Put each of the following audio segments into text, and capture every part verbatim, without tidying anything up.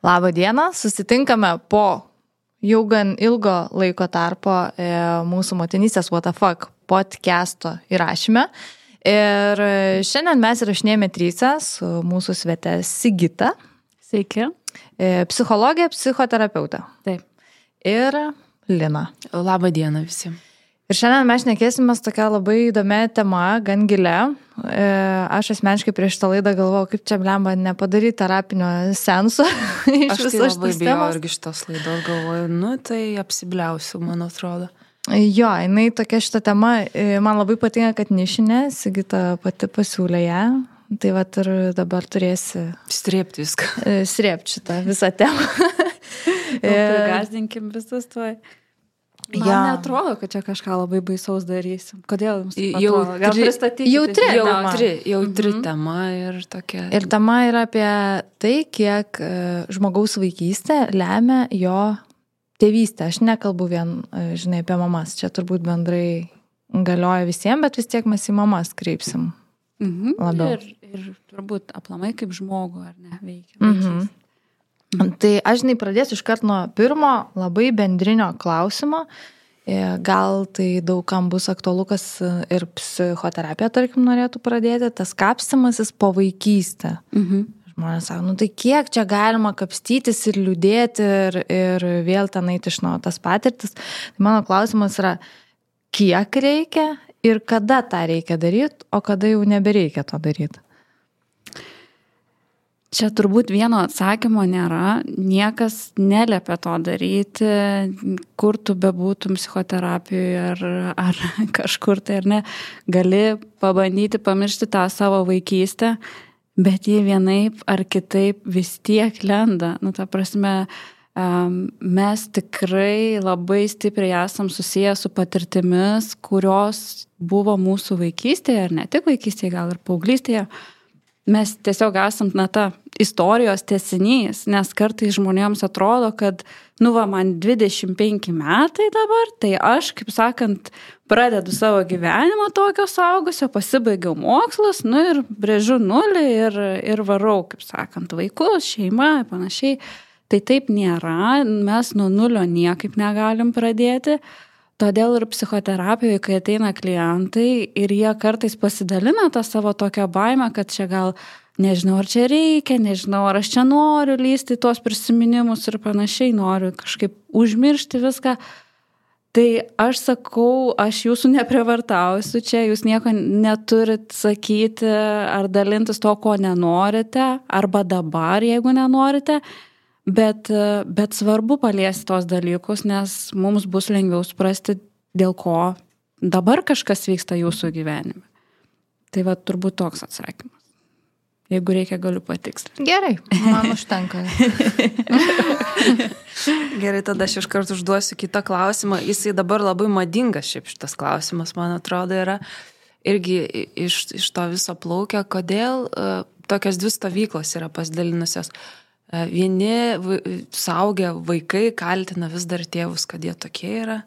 Labą dieną, susitinkame po jau gan ilgo laiko tarpo e, mūsų motinystės What the Fuck podcast'o įrašyme. Ir šiandien mes įrašinėjame tryse su mūsų svete Sigita. Sveiki. E, psichologė, psichoterapeutė. Taip. Ir Lina. Labą dieną visiems. Ir šiandien mes šnekėsimės tokia labai įdomia tema, gan gilia. E, aš asmeniškai prieš tą laidą galvojau, kaip čia blemba nepadaryti terapinio senso. Aš tai labai bijau irgi šitos laidos, galvoju, nu tai apsibliausiu, man atrodo. Jo, jinai tokia šita tema, man labai patinka, kad nišinė, Sigita pati pasiūlė ją. Tai vat ir dabar turėsi... Strėpti viską. Strėpti šitą visą temą. Prigazdinkim visus tuoj. Man ja. neatrodo, kad čia kažką labai baisaus darysim. Kodėl jums taip jau atrodo? Gal tri, pristatykite? Jautri, jautri, jautri Mhm. tema ir tokia. Ir tema yra apie tai, kiek e, žmogaus vaikystė lemia jo tėvystę. Aš nekalbu vien, e, žinai, apie mamas. Čia turbūt bendrai galioja visiems, bet vis tiek mes į mamas kreipsim. Mhm. Labiau. Ir, ir turbūt aplamai kaip žmogų, ar ne, veikia. Mhm. Tai aš žinai pradėsiu iškart nuo pirmo labai bendrinio klausimo. Gal tai daugam bus aktualu, kas ir psichoterapija, tarkim, norėtų pradėti, tas kapstymasis po vaikystę. Mhm. Žmonės sako, nu tai kiek čia galima kapstytis ir liūdėti ir, ir vėl ten eiti iš naujo tas patirtis. Tai mano klausimas yra, kiek reikia ir kada tą reikia daryti, o kada jau nebereikia to daryti. Čia turbūt vieno atsakymo nėra, niekas neliepia to daryti, kur tu bebūtum psichoterapijoje ar, ar kažkur tai ar ne, gali pabandyti pamiršti tą savo vaikystę, bet jie vienaip ar kitaip vis tiek lenda. Nu, ta prasme, mes tikrai labai stipriai esam susiję su patirtimis, kurios buvo mūsų vaikystėje, ar ne tik vaikystėje, gal ir paauglystėje. Mes tiesiog esam, na, ta istorijos tęsinys, nes kartais žmonėms atrodo, kad, nu va, man dvidešimt penki metai dabar, tai aš, kaip sakant, pradedu savo gyvenimą tokio suaugusio, pasibaigiau mokslus, nu ir brėžiu nulį ir, ir varau, kaip sakant, vaikus, šeimą, panašiai. Tai taip nėra, mes nuo nulio niekaip negalim pradėti. Todėl ir psichoterapijoje, kai ateina klientai ir jie kartais pasidalina tą savo tokią baimę, kad čia gal nežinau, ar čia reikia, nežinau, ar aš čia noriu lysti tuos prisiminimus ir panašiai, noriu kažkaip užmiršti viską. Tai aš sakau, aš jūsų neprievartausiu čia, jūs nieko neturit sakyti ar dalintis to, ko nenorite, arba dabar, jeigu nenorite. Bet, bet svarbu paliesti tos dalykus, nes mums bus lengviau suprasti, dėl ko dabar kažkas vyksta jūsų gyvenime. Tai va turbūt toks atsakymas. Jeigu reikia, galiu patikslinti. Gerai, man užtenka. Gerai, tada aš iš karto užduosiu kitą klausimą. Jisai dabar labai madingas šiaip šitas klausimas, man atrodo, yra irgi iš, iš to viso plaukia, kodėl uh, tokios dvi stovyklos yra pasidalinusios. Vieni suaugę vaikai kaltina vis dar tėvus, kad jie tokie yra.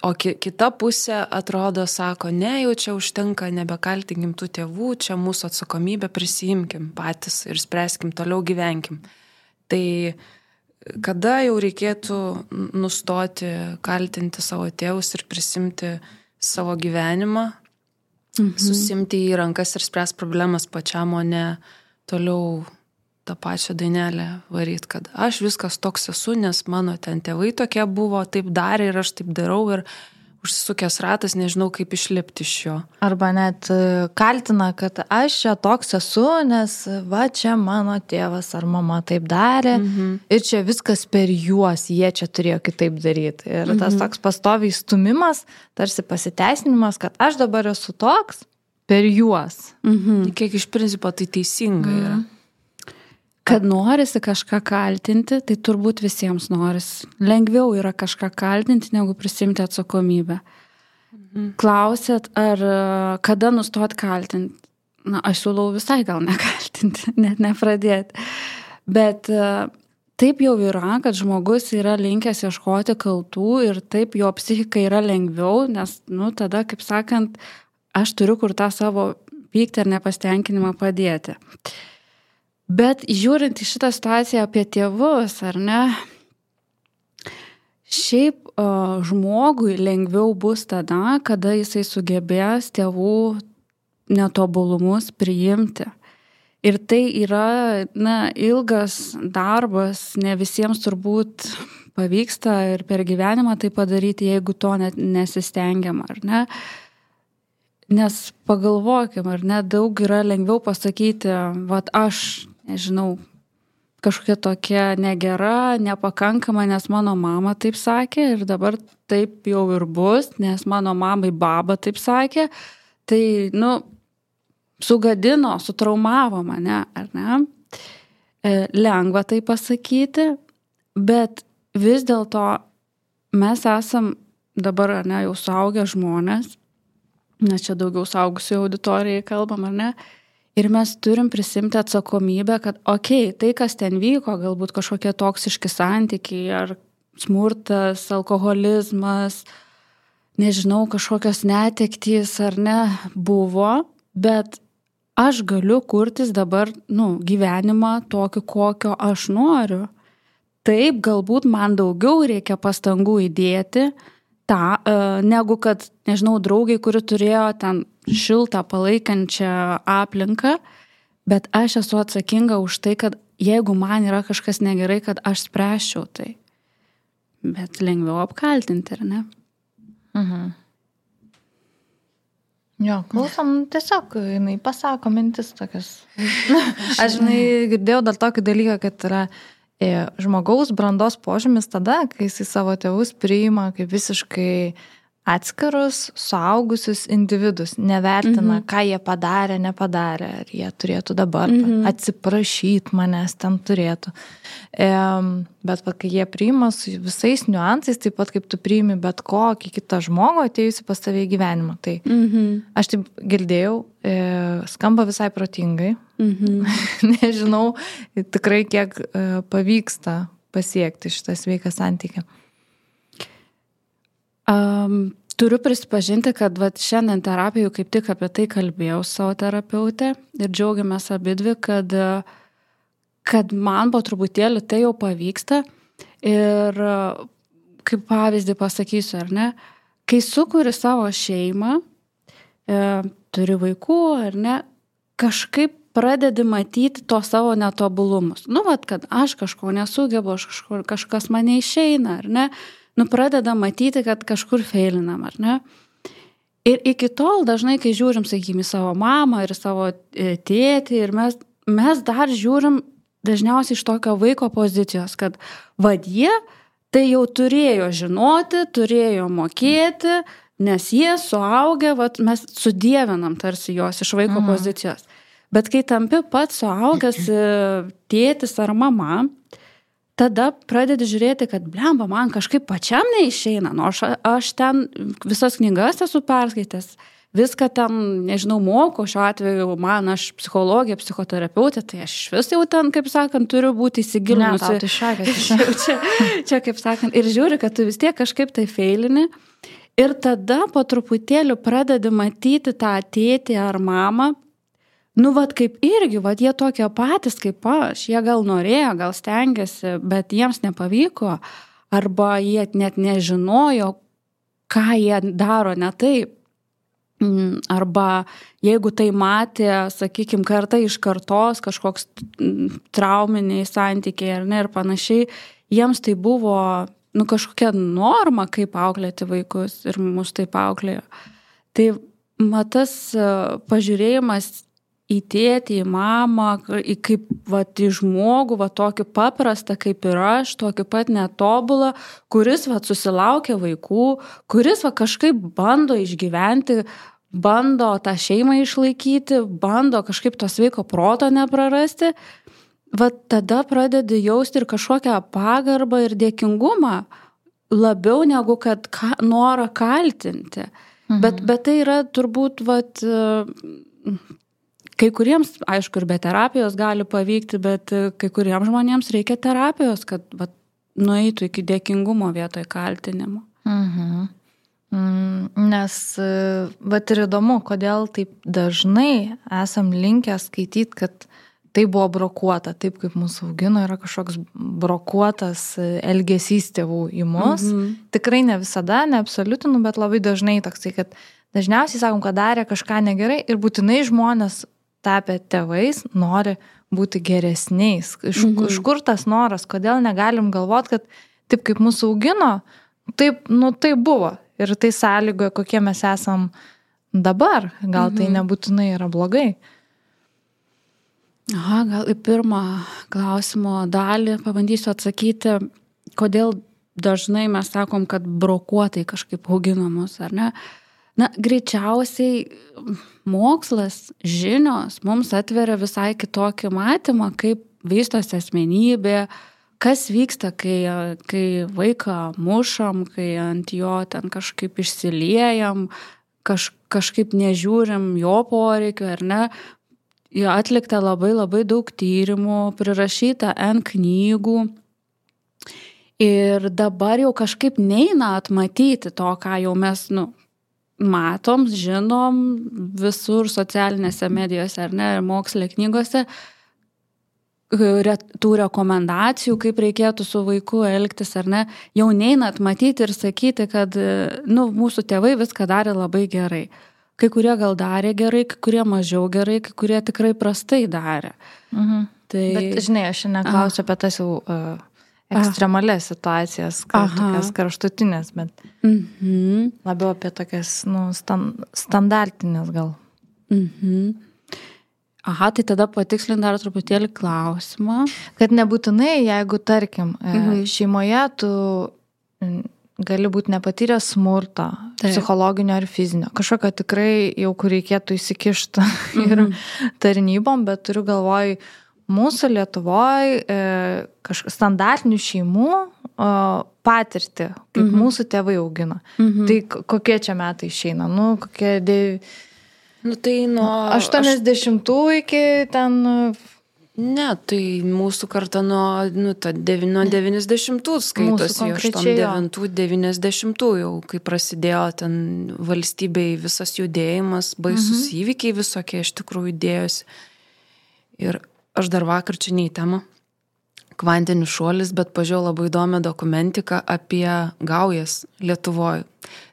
O kita pusė atrodo, sako, ne, jau čia užtenka, nebekaltinkim tų tėvų, čia mūsų atsakomybę prisiimkim patys ir spręskim, toliau gyvenkim. Tai kada jau reikėtų nustoti kaltinti savo tėvus ir prisimti savo gyvenimą, mhm. susimti į rankas ir spręs problemas pačiam, o ne toliau tą pačią dainelę varyt, kad aš viskas toks esu, nes mano ten tėvai tokie buvo, taip darė ir aš taip darau ir užsisukęs ratas, nežinau, kaip išlipti iš jo. Arba net kaltina, kad aš čia toks esu, nes va čia mano tėvas ar mama taip darė mhm. ir čia viskas per juos, jie čia turėjo kitaip daryti. Ir mhm. tas toks pastoviai stumimas, tarsi pasiteisinimas, kad aš dabar esu toks per juos. Mhm. Kiek iš principo tai teisinga yra. Mhm. Kad norisi kažką kaltinti, tai turbūt visiems norisi. Lengviau yra kažką kaltinti, negu prisimti atsakomybę. Mhm. Klausėt, ar kada nustot kaltinti? Na, aš siūlau visai gal nekaltinti, net nepradėti. Bet taip jau yra, kad žmogus yra linkęs ieškoti kaltų ir taip jo psichika yra lengviau, nes, nu, tada, kaip sakant, aš turiu kur tą savo pyktį ar nepastenkinimą padėti. Bet žiūrint į šitą situaciją apie tėvus, ar ne, šiaip uh, žmogui lengviau bus tada, kada jisai sugebės tėvų netobulumus priimti. Ir tai yra, na, ilgas darbas, ne visiems turbūt pavyksta ir per gyvenimą tai padaryti, jeigu to net nesistengiam, ar ne? Nes pagalvokim, ar ne, daug yra lengviau pasakyti, vat aš, nežinau, kažkokia tokia negera, nepakankama, nes mano mama taip sakė ir dabar taip jau ir bus, nes mano mamai baba taip sakė, tai, nu, sugadino, sutraumavo mane, ar ne? E, lengva tai pasakyti, bet vis dėlto mes esam dabar, ar ne, jau suaugę žmonės, nes čia daugiau suaugusių auditorijai kalbam, ar ne? Ir mes turim prisimti atsakomybę, kad, okei, okay, tai, kas ten vyko, galbūt kažkokie toksiški santykiai, ar smurtas, alkoholizmas, nežinau, kažkokios netektys, ar ne, buvo, bet aš galiu kurtis dabar, nu, gyvenimą tokį, kokio aš noriu. Taip, galbūt man daugiau reikia pastangų įdėti, tą, negu kad, nežinau, draugai, kuri turėjo ten šiltą palaikančią aplinką, bet aš esu atsakinga už tai, kad jeigu man yra kažkas negerai, kad aš spręsčiau tai. Bet lengviau apkaltinti, ar ne? Mhm. Jo, klausom, tiesiog, jinai pasako mintis tokias. Aš, žinai, girdėjau dar tokį dalyką, kad yra žmogaus brandos požymis tada, kai jis savo tėvus priima kaip visiškai atskirus, suaugusius individus, nevertina, mhm. ką jie padarė, nepadarė, ar jie turėtų dabar mhm. atsiprašyti manęs, ten turėtų. E, bet va, kai jie priima su visais niuansais, taip pat kaip tu priimi bet kokį kitą žmogų atėjusi pas tave į gyvenimą. Tai mhm. aš taip girdėjau, e, skamba visai protingai. Mhm. Nežinau tikrai, kiek e, pavyksta pasiekti šitą sveiką santykį. Um, turiu prisipažinti, kad vat, šiandien terapijų kaip tik apie tai kalbėjau savo terapeutę ir džiaugiamės abidvi, kad, kad man po truputėlį tai jau pavyksta ir kaip pavyzdį pasakysiu, ar ne, kai sukuri savo šeimą, e, turi vaikų, ar ne, kažkaip pradedi matyti to savo netobulumus. Nu, vat, kad aš kažko nesugebu, aš kažko, kažkas mane išeina, ar ne, nu, pradeda matyti, kad kažkur feilinam, ar ne? Ir iki tol dažnai, kai žiūrim, sakykime, savo mamą ir savo tėtį, ir mes, mes dar žiūrim dažniausiai iš tokio vaiko pozicijos, kad vad jie tai jau turėjo žinoti, turėjo mokėti, nes jie suaugę, vat, mes sudievinam tarsi jos iš vaiko mhm. pozicijos. Bet kai tampi pats suaugęs tėtis ar mama, tada pradedi žiūrėti, kad blemba, man kažkaip pačiam neišeina, nu, aš, aš ten visas knygas esu perskaitęs, viską ten, nežinau, moko, šiuo atveju man, aš psichologija, psichoterapeutė, tai aš vis jau ten, kaip sakant, turiu būti įsigilinusi. Ne, tau tai šakės. čia, čia, kaip sakant, ir žiūri, kad tu vis tiek kažkaip tai feilini, ir tada po truputėlį pradedi matyti tą tėtį ar mamą. Nu, vat kaip irgi, vat jie tokie patys kaip aš, jie gal norėjo, gal stengiasi, bet jiems nepavyko, arba jie net nežinojo, ką jie daro ne taip. Arba jeigu tai matė, sakykime, karta iš kartos, kažkoks trauminiai santykiai ar ne ir panašiai, jiems tai buvo, nu, kažkokia norma, kaip auklėti vaikus ir mus taip auklėjo. Tai matas pažiūrėjimas į tėtį, į mamą, į kaip, va, į žmogų, va, tokį paprastą kaip ir aš, tokį pat netobulą, kuris, va, susilaukia vaikų, kuris, va, kažkaip bando išgyventi, bando tą šeimą išlaikyti, bando kažkaip to sveiko proto neprarasti, va, tada pradedi jausti ir kažkokią pagarbą ir dėkingumą, labiau negu kad ka, norą kaltinti. Mhm. Bet, bet tai yra turbūt, va, kai kuriems, aišku, ir be terapijos gali pavykti, bet kai kuriems žmonėms reikia terapijos, kad vat, nueitų iki dėkingumo vietoj kaltinimo. Mhm. Nes, vat ir įdomu, kodėl taip dažnai esam linkę skaityti, kad tai buvo brokuota, taip kaip mūsų augino, yra kažkoks brokuotas elgesys tėvų į mus. Mhm. Tikrai ne visada, ne absoliutinu, bet labai dažnai toksai, kad dažniausiai sakom, kad darė kažką negerai ir būtinai žmonės tapę tėvais nori būti geresniais. Iš, mhm. iš kur tas noras, kodėl negalim galvot, kad taip kaip mūsų augino, taip, nu, tai buvo. Ir tai sąlygoja, kokie mes esam dabar. Gal mhm. tai nebūtinai yra blogai. Aha, gal į pirmą klausimo dalį pabandysiu atsakyti, kodėl dažnai mes sakom, kad brokuotai kažkaip augino mus, ar ne? Na, greičiausiai mokslas, žinios mums atveria visai kitokį matymą, kaip vystosi asmenybė, kas vyksta, kai, kai vaiką mušam, kai ant jo ten kažkaip išsiliejam, kaž, kažkaip nežiūrim jo poreikių, ar ne? Atlikta labai labai daug tyrimų, prirašyta N knygų ir dabar jau kažkaip neina atmatyti to, ką jau mes, nu, matom, žinom visur socialinėse medijose, ar ne, ir moksle knygose, tų rekomendacijų, kaip reikėtų su vaiku elgtis, ar ne, jau neina atmatyti ir sakyti, kad, nu, mūsų tėvai viską darė labai gerai. Kai kurie gal darė gerai, kai kurie mažiau gerai, kai kurie tikrai prastai darė. Mhm. Tai... Bet, žinai, aš neklausiu apie tas jau uh, ekstremalės situacijas, tokias kraštutinės, bet mhm. labiau apie tokias, nu, stand, standartinės gal. Mhm. Aha, tai tada patikslint dar truputėlį klausimą. Kad nebūtinai, jeigu, tarkim, mhm. šeimoje tu gali būti nepatyręs smurto, taip, psichologinio ar fizinio. Kažkokio tikrai jau, kur reikėtų įsikišti mhm. ir tarnybom, bet turiu galvoj, mūsų Lietuvoj e, kažkokių standartinių šeimų o, patirtį, kaip mhm. mūsų tėvai augino. Mhm. Tai kokie čia metai išeina? Nu, kokie... De... Nu, tai nuo... aštuoniasdešimtų iki ten... Ne, tai mūsų karta nuo, nu, nuo devyniasdešimtų skaitosi, aštuoniasdešimt devintų devyniasdešimtų jau, kai prasidėjo ten valstybei visas judėjimas, baisus mhm. įvykiai visokie iš tikrųjų dėjosi. Ir aš dar vakar čia ne į temą, kvantinis šuolis, bet pažiūrėjau labai įdomią dokumentiką apie gaujas Lietuvoje.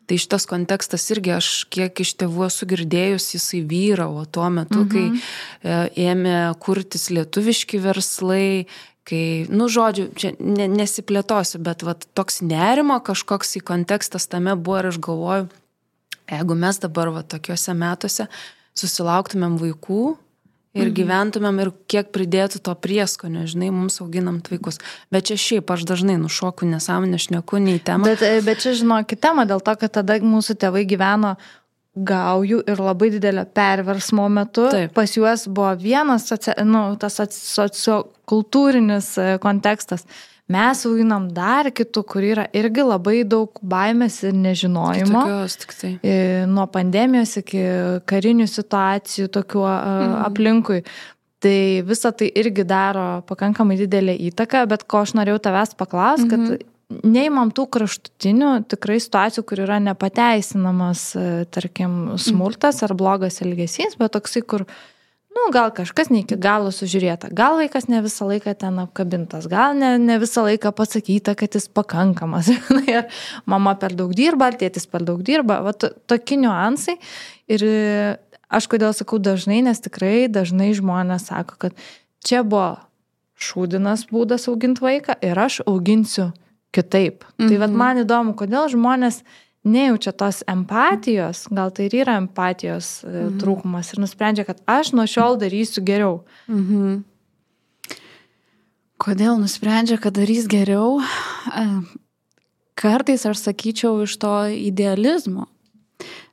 Tai šitas kontekstas irgi aš kiek iš tėvų esu girdėjus, jisai vyravo tuo metu, mhm. kai e, ėmė kurtis lietuviški verslai, kai, nu, žodžiu, čia ne, nesiplėtosiu, bet vat, toks nerimo kažkoks į kontekstas tame buvo ir aš galvoju, jeigu mes dabar vat, tokiuose metuose susilauktumėm vaikų ir gyventumėm ir kiek pridėtų to prieskonio, žinai, mums auginam vaikus. Bet čia šiaip aš dažnai nušoku nesąmonę, šneku, nei temą. Bet, bet čia žinokit temą dėl to, kad tada mūsų tėvai gyveno gaujų ir labai didelio perversmo metu. Taip. Pas juos buvo vienas socia, nu, tas sociokultūrinis kontekstas. Mes auginam dar kitų, kur yra irgi labai daug baimės ir nežinojimo. Tokios, tik tai. Nuo pandemijos iki karinių situacijų tokių mhm. aplinkui. Tai visa tai irgi daro pakankamai didelę įtaką, bet ko aš norėjau tavęs paklausti, mhm. kad neimam tų kraštutinių tikrai situacijų, kur yra nepateisinamas, tarkim, smurtas ar blogas elgesys, bet toksai, kur nu, gal kažkas ne iki galo sužiūrėta, gal vaikas ne visą laiką ten apkabintas, gal ne, ne visą laiką pasakyta, kad jis pakankamas. Ir mama per daug dirba, ar tėtis per daug dirba. Va, to, tokie niuansai. Ir aš kodėl sakau dažnai, nes tikrai dažnai žmonės sako, kad čia buvo šūdinas būdas auginti vaiką ir aš auginsiu kitaip. Mhm. Tai vat, man įdomu, kodėl žmonės nejaučia tos empatijos, gal tai ir yra empatijos mhm. trūkumas ir nusprendžia, kad aš nuo šiol darysiu geriau. Mhm. Kodėl nusprendžia, kad darys geriau? Kartais aš sakyčiau iš to idealizmo.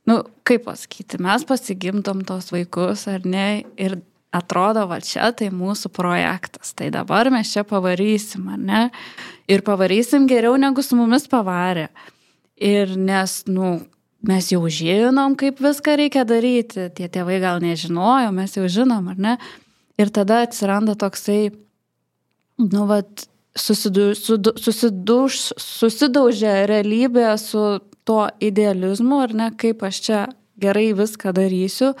Nu, kaip pasakyti, mes pasigimdom tos vaikus, ar ne, ir atrodo, va čia tai mūsų projektas, tai dabar mes čia pavarysim, ar ne, ir pavarysim geriau negu su mumis pavarė. Ir nes, nu, mes jau žinom, kaip viską reikia daryti, tie tėvai gal nežinojo, mes jau žinom, ar ne? Ir tada atsiranda toksai, nu, vat, susidu, sudu, susiduž, susidaužia realybė su tuo idealizmu, ar ne, kaip aš čia gerai viską darysiu.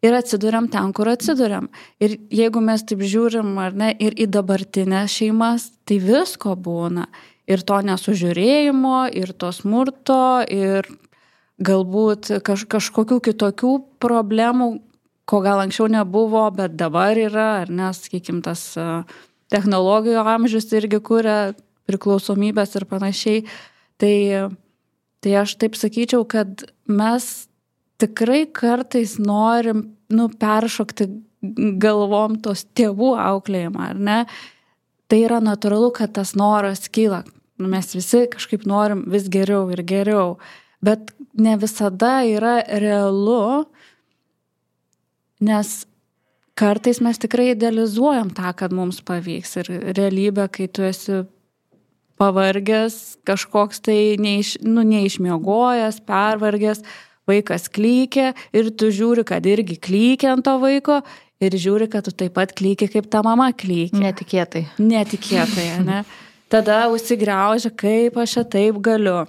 ir atsiduriam ten, kur atsiduriam. Ir jeigu mes taip žiūrim, ar ne, ir į dabartinę šeimas, tai visko būna. Ir to nesužiūrėjimo, ir to smurto, ir galbūt kaž, kažkokių kitokių problemų, ko gal anksčiau nebuvo, bet dabar yra, ar ne, sakykim, tas technologijų amžius irgi kuria priklausomybės ir panašiai. Tai, tai aš taip sakyčiau, kad mes tikrai kartais norim, nu, peršokti galvom tos tėvų auklėjimą, ar ne? Tai yra natūralu, kad tas noras kyla. Mes visi kažkaip norim vis geriau ir geriau, bet ne visada yra realu, nes kartais mes tikrai idealizuojam tą, kad mums pavyks. Ir realybė, kai tu esi pavargęs, kažkoks tai neiš, nu, neišmiegojęs, pervargęs, vaikas klykia ir tu žiūri, kad irgi klykia ant to vaiko ir žiūri, kad tu taip pat klykia, kaip ta mama klykia. Netikėtai. Netikėtai, ne? Tada užsigriaužia, kaip aš čia taip galiu.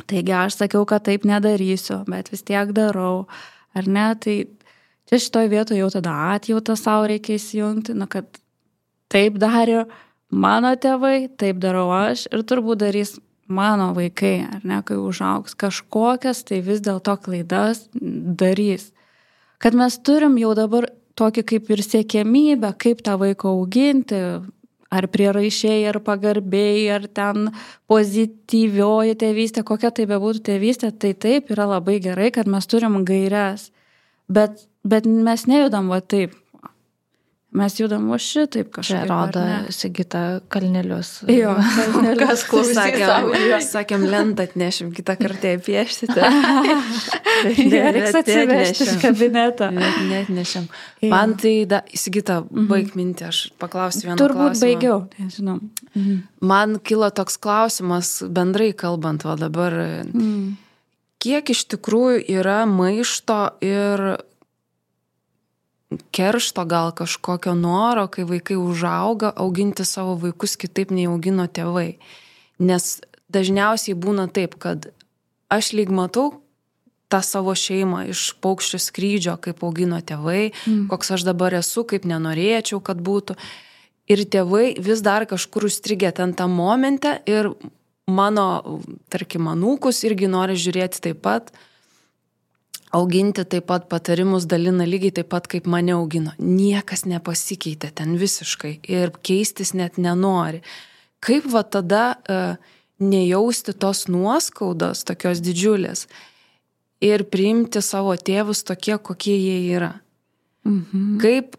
Taigi aš sakiau, kad taip nedarysiu, bet vis tiek darau. Ar ne? Tai čia šitoj vietoje jau tada atjautą savo reikia įsijungti, na, kad taip darė mano tėvai, taip darau aš ir turbūt darys mano vaikai, ar ne, kai užaugs kažkokias, tai vis dėlto klaidas darys. Kad mes turim jau dabar tokį kaip ir siekiamybę, kaip tą vaiką auginti, ar prieraišiai, ar pagarbiai, ar ten pozityvioji tėvystė, kokia tai bebūtų tėvystė, tai taip yra labai gerai, kad mes turim gairias, bet, bet mes nejudam va taip. Mes judam va šitaip kažkaip. Čia rodo Sigita kalnelius. Jo, kalnelius. Kas klausakėm, sakėm, lentą atnešim, kitą kartą pieštite. Reiks atsivežti iš kabineto. Net nešim. Man tai, da, Sigita, baig mintį, aš paklausiu vieną Turbūt klausimą. baigiau, tai žinom. Mhm. Man kilo toks klausimas, bendrai kalbant, va dabar, mm. kiek iš tikrųjų yra maišto ir keršto gal kažkokio noro, kai vaikai užauga, auginti savo vaikus kitaip nei augino tėvai. Nes dažniausiai būna taip, kad aš lyg matau tą savo šeimą iš paukščio skrydžio, kaip augino tėvai, mm. koks aš dabar esu, kaip nenorėčiau, kad būtų. Ir tėvai vis dar kažkur užstrigę ten tą momentą ir mano, tarkim, anūkus irgi nori žiūrėti taip pat, auginti taip pat patarimus dalina lygiai taip pat, kaip mane augino. Niekas nepasikeitė ten visiškai ir keistis net nenori. Kaip va tada uh, nejausti tos nuoskaudos, tokios didžiulės ir priimti savo tėvus tokie, kokie jie yra. Mhm. Kaip,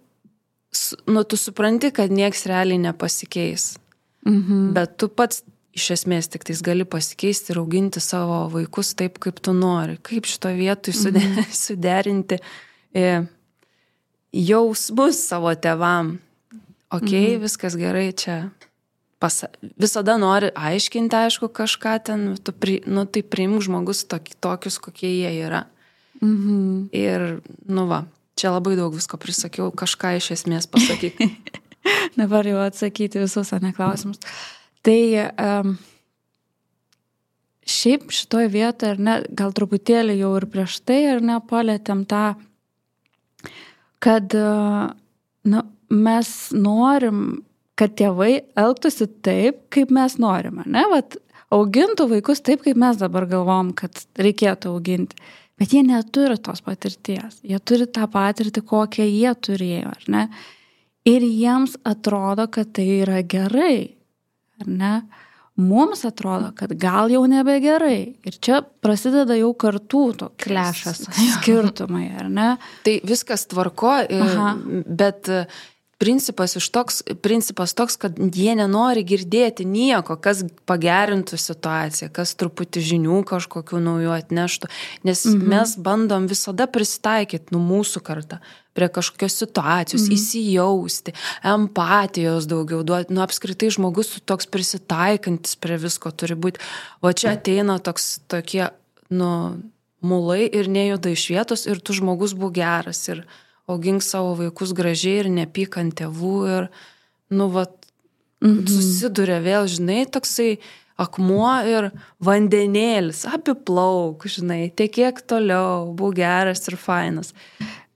nu, tu supranti, kad nieks realiai nepasikeis, mhm. bet tu pats iš esmės tik tais gali pasikeisti ir auginti savo vaikus taip, kaip tu nori. Kaip šito vietoj mm. suderinti e, jausmus savo tėvam. Ok, mm. viskas gerai čia. Pasa, visada nori aiškinti, aišku, kažką ten, tu pri, nu, tai priimk žmogus tok, tokius, kokie jie yra. Mm-hmm. Ir, nu va, čia labai daug visko prisakiau, kažką iš esmės pasakyti. Dabar jau atsakyti visus neklausimus. Tai um, šiaip šitoj vietoje, ar ne, gal truputėlį jau ir prieš tai, ar ne, palėtėm tą, kad uh, nu, mes norim, kad tėvai elgtųsi taip, kaip mes norim, ne, vat, augintų vaikus taip, kaip mes dabar galvom, kad reikėtų auginti. Bet jie neturi tos patirties, jie turi tą patirtį, kokią jie turėjo, ar ne, ir jiems atrodo, kad tai yra gerai. Ar ne? Mums atrodo, kad gal jau nebegerai. Ir čia prasideda jau kartų toks klešas, skirtumai, ar ne? Tai viskas tvarko, Aha. bet principas, iš toks, principas toks, kad jie nenori girdėti nieko, kas pagerintų situaciją, kas truputį žinių kažkokių naujų atneštų. Nes mhm. mes bandom visada prisitaikyti, nu, mūsų kartą, prie kažkokios situacijos, mhm. įsijausti, empatijos daugiau duoti. Nu, apskritai žmogus toks prisitaikantis prie visko turi būti. O čia ateina toks, tokie, nu, mulai ir nejuda iš vietos ir tu žmogus būk geras ir augink savo vaikus gražiai ir nepyk ant tėvų ir, nu, vat, mhm. susiduria vėl, žinai, toksai akmuo ir vandenėlis, apiplauk, žinai, tekėk toliau, būk geras ir fainas.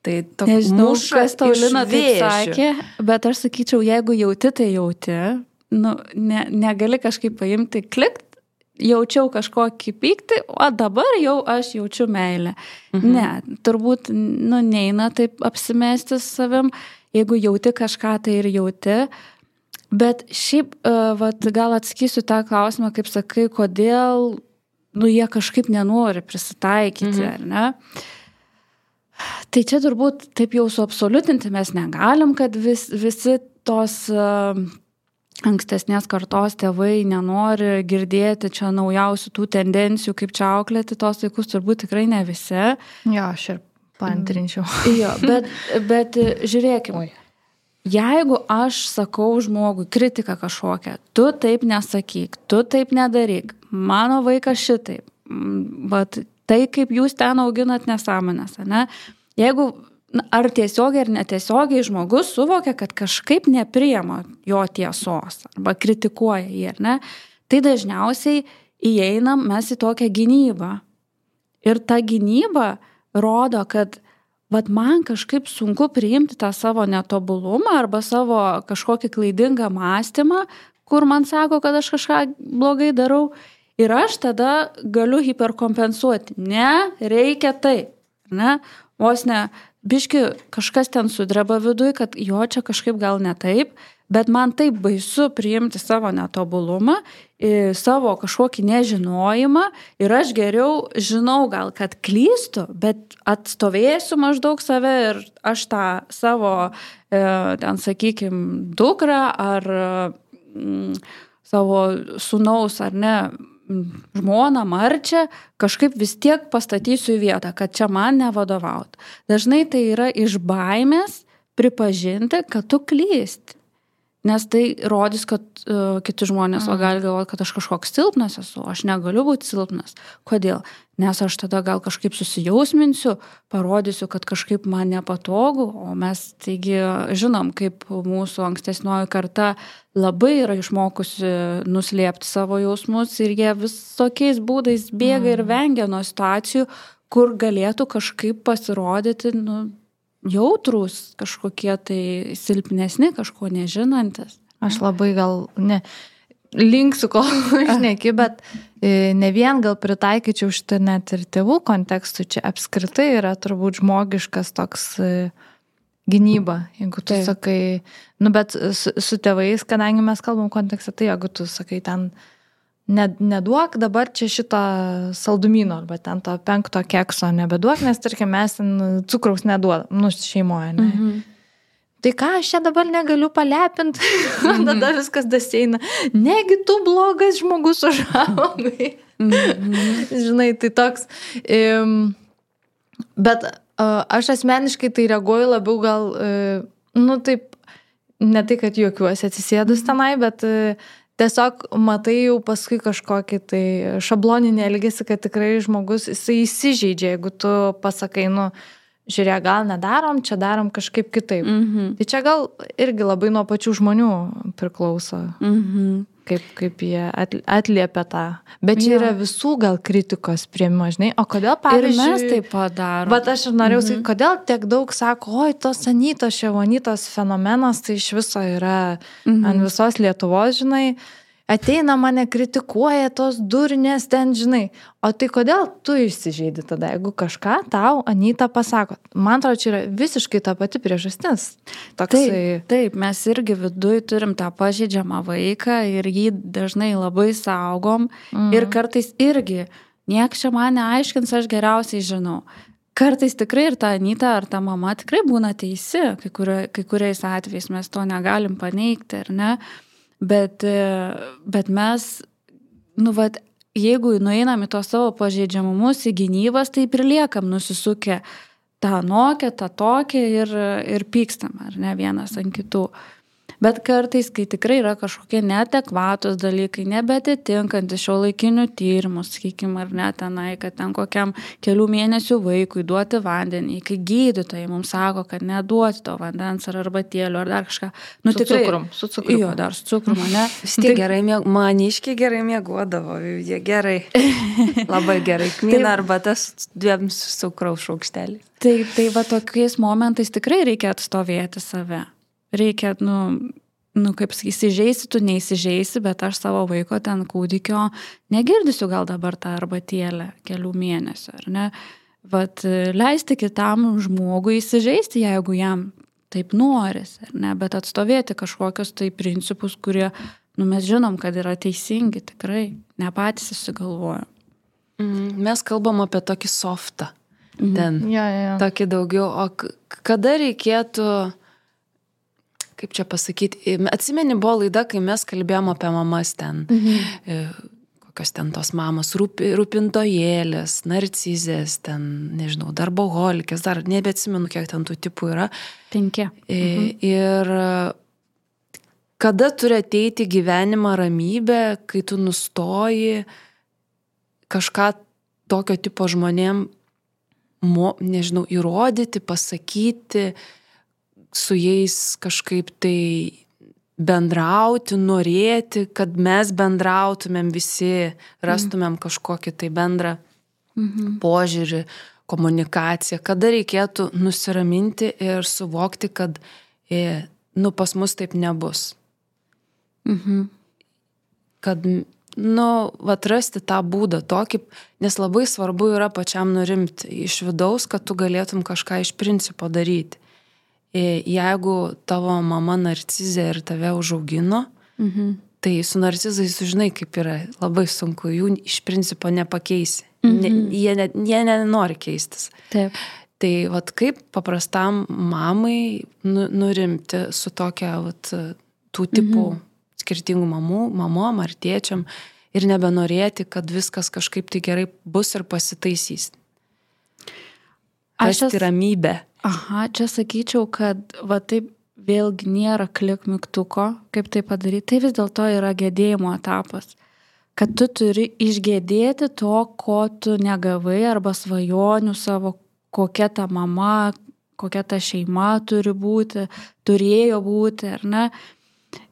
Tai toks Nežinau, muša kas tau iš Lina taip vėžių. sakė, bet aš sakyčiau, jeigu jauti, tai jauti, nu, ne, negali kažkaip paimti, klikt, jaučiau kažkokį pyktį, o dabar jau aš jaučiu meilę. Mhm. Ne, turbūt, nu, neina taip apsimesti savim, jeigu jauti kažką, tai ir jauti. Bet šiaip, uh, vat, gal atsakysiu tą klausimą, kaip sakai, kodėl, nu, jie kažkaip nenori prisitaikyti, mhm. ar ne? Tai čia turbūt taip jau suabsoliutinti mes negalim, kad vis, visi tos uh, ankstesnės kartos tėvai nenori girdėti čia naujausių tų tendencijų, kaip čia auklėti tos vaikus, turbūt tikrai ne visi. Jo, aš ir paantrinčiau. Jo, bet, bet žiūrėkime, jeigu aš sakau žmogui kritiką kažkokią, tu taip nesakyk, tu taip nedaryk, mano vaikas šitaip, vat, tai, kaip jūs ten auginat nesąmonės, ne? Jeigu ar tiesiogiai ar netiesiogiai žmogus suvokia, kad kažkaip nepriima jo tiesos arba kritikuoja jį, ne? Tai dažniausiai įeinam mes į tokią gynybą. Ir ta gynyba rodo, kad vat, man kažkaip sunku priimti tą savo netobulumą arba savo kažkokį klaidingą mąstymą, kur man sako, kad aš kažką blogai darau. Ir aš tada galiu hiperkompensuoti. Ne, reikia taip. Ne? Vos ne, biški kažkas ten sudreba viduj, kad jo čia kažkaip gal ne taip, bet man taip baisu priimti savo netobulumą, savo kažkokį nežinojimą ir aš geriau žinau gal, kad klystu, bet atstovėsiu maždaug save ir aš tą savo, ten sakykim, dukrą ar mm, savo sūnaus ar ne, žmoną, marčią, kažkaip vis tiek pastatysiu į vietą, kad čia man nevadovaut. Dažnai tai yra iš baimės pripažinti, kad tu klysti. Nes tai rodys, kad uh, kiti žmonės mm. gali galvoti, kad aš kažkoks silpnas esu, aš negaliu būti silpnas. Kodėl? Nes aš tada gal kažkaip susijausminsiu, parodysiu, kad kažkaip man nepatogu, o mes taigi žinom, kaip mūsų ankstesnioji karta labai yra išmokusi nuslėpti savo jausmus ir jie visokiais būdais bėga mm. ir vengia nuo situacijų, kur galėtų kažkaip pasirodyti, nu, jautrus, kažkokie tai silpnesni, kažko nežinantis. Aš labai gal, ne, linksiu, kol šneki, bet ne vien gal pritaikyčiau šitą net ir tėvų kontekstų, čia apskritai yra turbūt žmogiškas toks gynyba, jeigu tu tai sakai, nu bet su, su tėvais, kadangi mes kalbam kontekste, tai jeigu tu sakai ten, neduok dabar čia šito saldumyno arba ten to penkto kekso nebeduok, nes tarkim mes cukraus neduodam, nu šeimoje, ne. Mhm. Tai ką aš čia dabar negaliu palepinti, mm-hmm. tada viskas daseina. Negi tu blogas žmogus užaugai. Mm-hmm. Žinai, tai toks. Um, bet uh, aš asmeniškai tai reaguoju labiau gal, uh, nu taip, ne tai, kad juokiuosi atsisėdus tenai, bet uh, tiesiog matai jau paskui kažkokį tai šabloninį elgesį, kad tikrai žmogus, jisai įsižeidžia, jeigu tu pasakai, nu, žiūrėk, gal nedarom, čia darom kažkaip kitaip. Mm-hmm. Tai čia gal irgi labai nuo pačių žmonių priklauso, mm-hmm. kaip, kaip jie atliepia tą. Bet čia ja. Yra visų gal kritikos priėmimo, žinai, o kodėl, pavyzdžiui... Ir mes taip padarom. Bet aš ir norėjau mm-hmm. sakyti, kodėl tiek daug sako, oi, tos Anytos, Ševonytos fenomenas, tai iš viso yra mm-hmm. ant visos Lietuvos, žinai, ateina mane kritikuoja tos durnės ten, žinai. O tai kodėl tu išsižeidi tada, jeigu kažką tau Anyta pasako? Man atrodo, čia yra visiškai ta pati priežastis. Toksai... Taip, taip, mes irgi viduj turim tą pažeidžiamą vaiką ir jį dažnai labai saugom. Mm. Ir kartais irgi, nieks čia man neaiškins, aš geriausiai žinau. Kartais tikrai ir ta Anyta ar ta mama tikrai būna teisi, kai, kurio, kai kuriais atvejais mes to negalim paneigti, ar ne? Bet, bet mes, nu, vat, jeigu nueinam į tos savo pažeidžiamumus, į gynybas, tai priliekam nusisukę tą nokę, tą tokią ir, ir pykstam, ar ne, vienas ant kitų. Bet kartais, kai tikrai yra kažkokie neadekvatus dalykai, nebetitinkantys šiuolaikinių tyrimų, sakykime, ar ne tenai, kad ten kokiam kelių mėnesių vaikui duoti vandenį, kai gydytojai mums sako, kad neduoti to vandens ar arbatėlių ar dar kažką. Nu, su tikrai, cukrum, su cukrum. Jo, dar su cukrum, ne? Vis tiek gerai, mėg... maniškiai gerai mėgodavo, jie gerai, labai gerai. Kmyna arba tas dviem cukraus šaukštelį. Tai, tai va tokiais momentais tikrai reikia atstovėti save. Reikia, nu, nu kaip įsižeisi, tu neįsižeisi, bet aš savo vaiko ten kūdikio negirdysiu gal dabar tą arbatėlę kelių mėnesių, ar ne? Vat leisti kitam žmogui įsižeisti, jeigu jam taip noris, ar ne? Bet atstovėti kažkokius tai principus, kurie, nu, mes žinom, kad yra teisingi, tikrai, ne patys įsigalvojom. Mm, mes kalbam apie tokį softą. Mhm. Ten, Ja, ja, ja. tokį daugiau. O k- kada reikėtų... Kaip čia pasakyti, atsimeni, buvo laida, kai mes kalbėjom apie mamas ten, mhm. kokios ten tos mamos, rūpi, rūpintojėlės, narcizės, ten, nežinau, darboholikės, dar nebeatsimenu, kiek ten tų tipų yra. Penki. Mhm. Ir kada turi ateiti gyvenimą ramybę, kai tu nustoji kažką tokio tipo žmonėm, mo, nežinau, įrodyti, pasakyti, su jais kažkaip tai bendrauti, norėti, kad mes bendrautumėm visi, rastumėm kažkokį tai bendrą mhm. požiūrį, komunikaciją, kada reikėtų nusiraminti ir suvokti, kad e, nu, pas mus taip nebus. Mhm. Kad, nu, atrasti tą būdą tokį, nes labai svarbu yra pačiam nurimti iš vidaus, kad tu galėtum kažką iš principo daryti. Jeigu tavo mama narcizė ir tave užaugino, mhm. tai su narcizai sužinai, kaip yra labai sunku, jų iš principo nepakeisi. Mhm. Ne, jie, ne, jie nenori keistis. Taip. Tai vat, kaip paprastam mamai nu, nurimti su tokia vat, tų tipų mhm. skirtingų mamų, mamom ar tėčiam ir nebenorėti, kad viskas kažkaip tai gerai bus ir pasitaisys. Rasti Aš ramybę. Aha, čia sakyčiau, kad va taip vėlgi nėra klik mygtuko, kaip tai padaryti. Tai vis dėlto yra gedėjimo etapas. Kad tu turi išgėdėti to, ko tu negavai, arba svajonių savo, kokia ta mama, kokia ta šeima turi būti, turėjo būti, ar ne?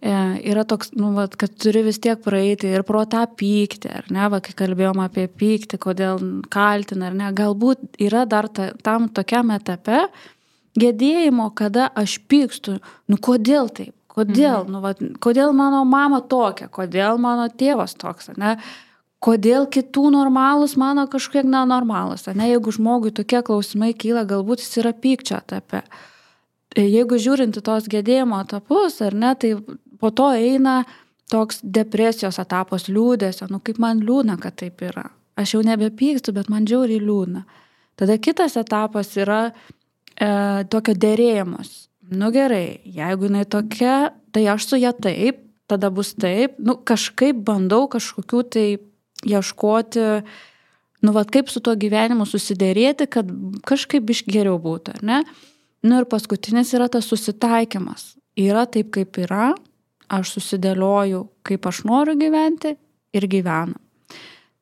E, yra toks, nu, va, kad turi vis tiek praeiti ir pro tą pyktį, ar ne, va, kai kalbėjom apie pyktį, kodėl kaltina, ar ne, galbūt yra dar ta, tam tokiam etape gedėjimo, kada aš pykstu, nu kodėl taip, kodėl, mhm. nu, va, kodėl mano mama tokia, kodėl mano tėvas toks, ar ne, kodėl kitų normalus mano kažkiek nenormalus, ar ne, jeigu žmogui tokie klausimai kyla, galbūt jis yra pykčio etape. Jeigu žiūrinti tos gedėjimo etapus, ar ne, tai po to eina toks depresijos etapas, liūdėsio, nu kaip man liūdna, kad taip yra. Aš jau nebepykstu, bet man žiauriai liūdna. Tada kitas etapas yra e, tokio derėjimus. Nu gerai, jeigu jinai tokia, tai aš su ją taip, tada bus taip, nu kažkaip bandau kažkokių tai ieškoti, nu vat kaip su tuo gyvenimu susiderėti, kad kažkaip iš geriau būtų, ar ne? Nu ir paskutinis yra tas susitaikymas. Yra taip, kaip yra, aš susidėlioju, kaip aš noriu gyventi ir gyvenu.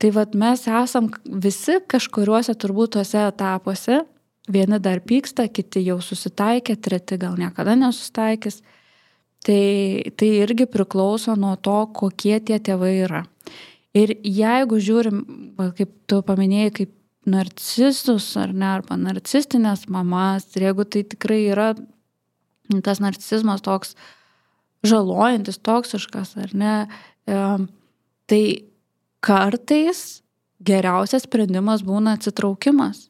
Tai vat mes esam visi kažkuriuose turbūt tuose etapuose, vieni dar pyksta, kiti jau susitaikė, treti gal niekada nesusitaikys. Tai, tai irgi priklauso nuo to, kokie tie tėvai yra. Ir jeigu žiūrim, kaip tu paminėjai, kaip narcistus ar ne, arba narcistinės mamas, ir jeigu tai tikrai yra tas narcisizmas toks žalojantis, toksiškas, ar ne, e, tai kartais geriausias sprendimas būna atsitraukimas.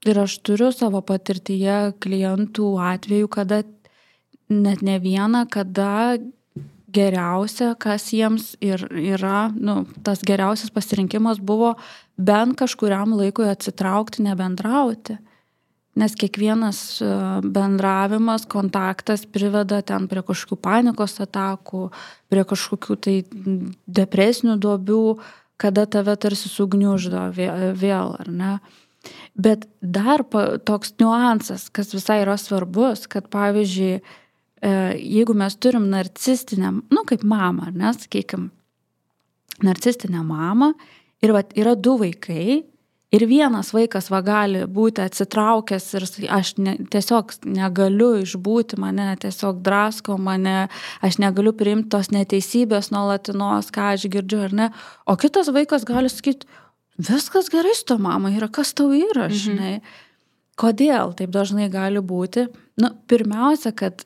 Ir aš turiu savo patirtyje klientų atveju, kada net ne vieną, kada geriausia, kas jiems ir yra, nu, tas geriausias pasirinkimas buvo bent kažkuriam laikui atsitraukti, nebendrauti. Nes kiekvienas bendravimas, kontaktas priveda ten prie kažkokių panikos atakų, prie kažkokių tai depresinių duobių, kada tave tarsi sugniuždo vėl, ar ne? Bet dar toks niuansas, kas visai yra svarbus, kad pavyzdžiui, jeigu mes turim narcistinę, nu kaip mamą, ar ne, sakykim, narcistinę mamą ir va, yra du vaikai ir vienas vaikas va gali būti atsitraukęs ir aš ne, tiesiog negaliu išbūti, mane tiesiog drasko, mane, aš negaliu priimti tos neteisybės nuolatinos, ką aš girdžiu ar ne, o kitas vaikas gali sakyti, viskas gerai su to mama yra, kas tau yra, mhm. žinai. Kodėl taip dažnai gali būti? Nu, pirmiausia, kad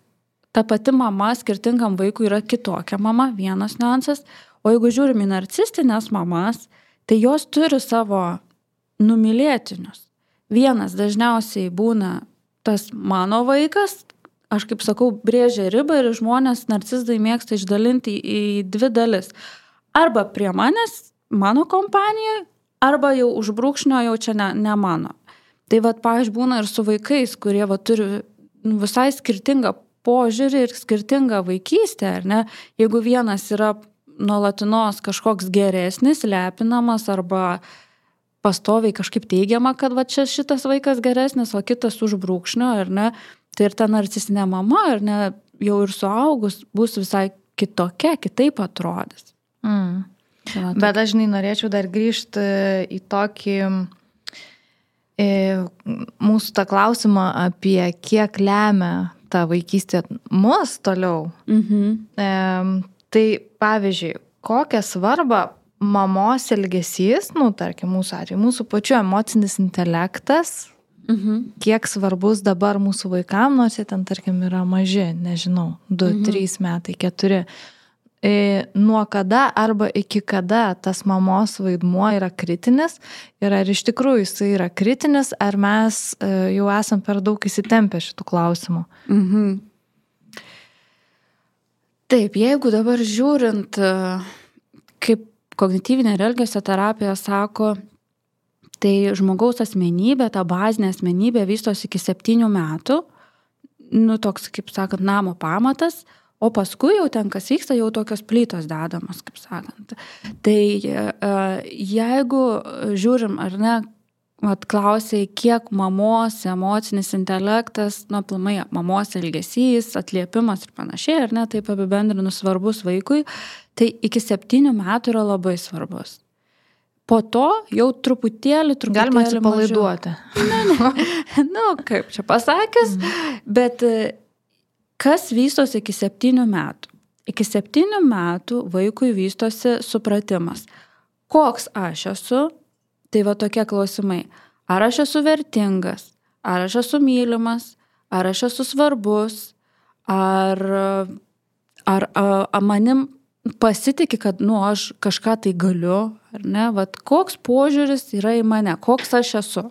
ta pati mama skirtingam vaikui yra kitokia mama, vienas niuansas, o jeigu žiūrim į narcistinės mamas, tai jos turi savo numylėtinius. Vienas dažniausiai būna tas mano vaikas, aš kaip sakau, brėžia ribą ir žmonės narcistai mėgsta išdalinti į dvi dalis. Arba prie manęs, mano kompanijoje, arba jau už brūkšnio jau čia ne, ne mano. Tai vat, pavyzdžiui, būna ir su vaikais, kurie vat, turi visai skirtingą požiūrį ir skirtingą vaikystę, ar ne? Jeigu vienas yra nuolatinos kažkoks geresnis, lepinamas arba pastoviai kažkaip teigiama, kad va čia šitas vaikas geresnis, o kitas už brūkšnio, ar ne? Tai ir ta narcistinė mama, ar ne, jau ir suaugus bus visai kitokia, kitaip atrodys. Mm. Tai, bet aš žinai, norėčiau dar grįžti į tokį į mūsų tą klausimą apie kiek lemia ta vaikystė mus toliau. Mhm. E, tai pavyzdžiui, kokią svarbą mamos elgesys, nu, tarkim, mūsų atveju, mūsų pačių emocinis intelektas, mhm. kiek svarbus dabar mūsų vaikam, nors jie ten, tarkim, yra maži, nežinau, du, mhm. trys metai, keturi. E, nuo kada arba iki kada tas mamos vaidmuo yra kritinis ir ar iš tikrųjų jis yra kritinis, ar mes e, jau esam per daug įsitempę šitų klausimų. Mhm. Taip, jeigu dabar žiūrint, kaip kognityvinė ir elgesio terapija sako, tai žmogaus asmenybė, ta bazinė asmenybė vystosi iki septynių metų, nu toks, kaip sakant, namo pamatas, o paskui jau ten, kas vyksta, jau tokios plytos dedamos, kaip sakant. Tai jeigu žiūrim, ar ne, atklausiai, kiek mamos emocinis intelektas, nu, aplamai mamos elgesys, atliepimas ir panašiai, ar ne, taip apibendrinus svarbus vaikui, tai iki septynių metų yra labai svarbus. Po to jau truputėlį, truputėlį galima atsipalaiduoti. Ne, ne, nu, kaip čia pasakius, mm. bet kas vystosi iki septynių metų? Iki septynių metų vaikui vystosi supratimas. Koks aš esu? Tai va tokie klausimai. Ar aš esu vertingas? Ar aš esu mylimas? Ar aš esu svarbus? Ar, ar, ar manim pasitiki, kad, nu, aš kažką tai galiu, ar ne? Vat koks požiūris yra į mane? Koks aš esu?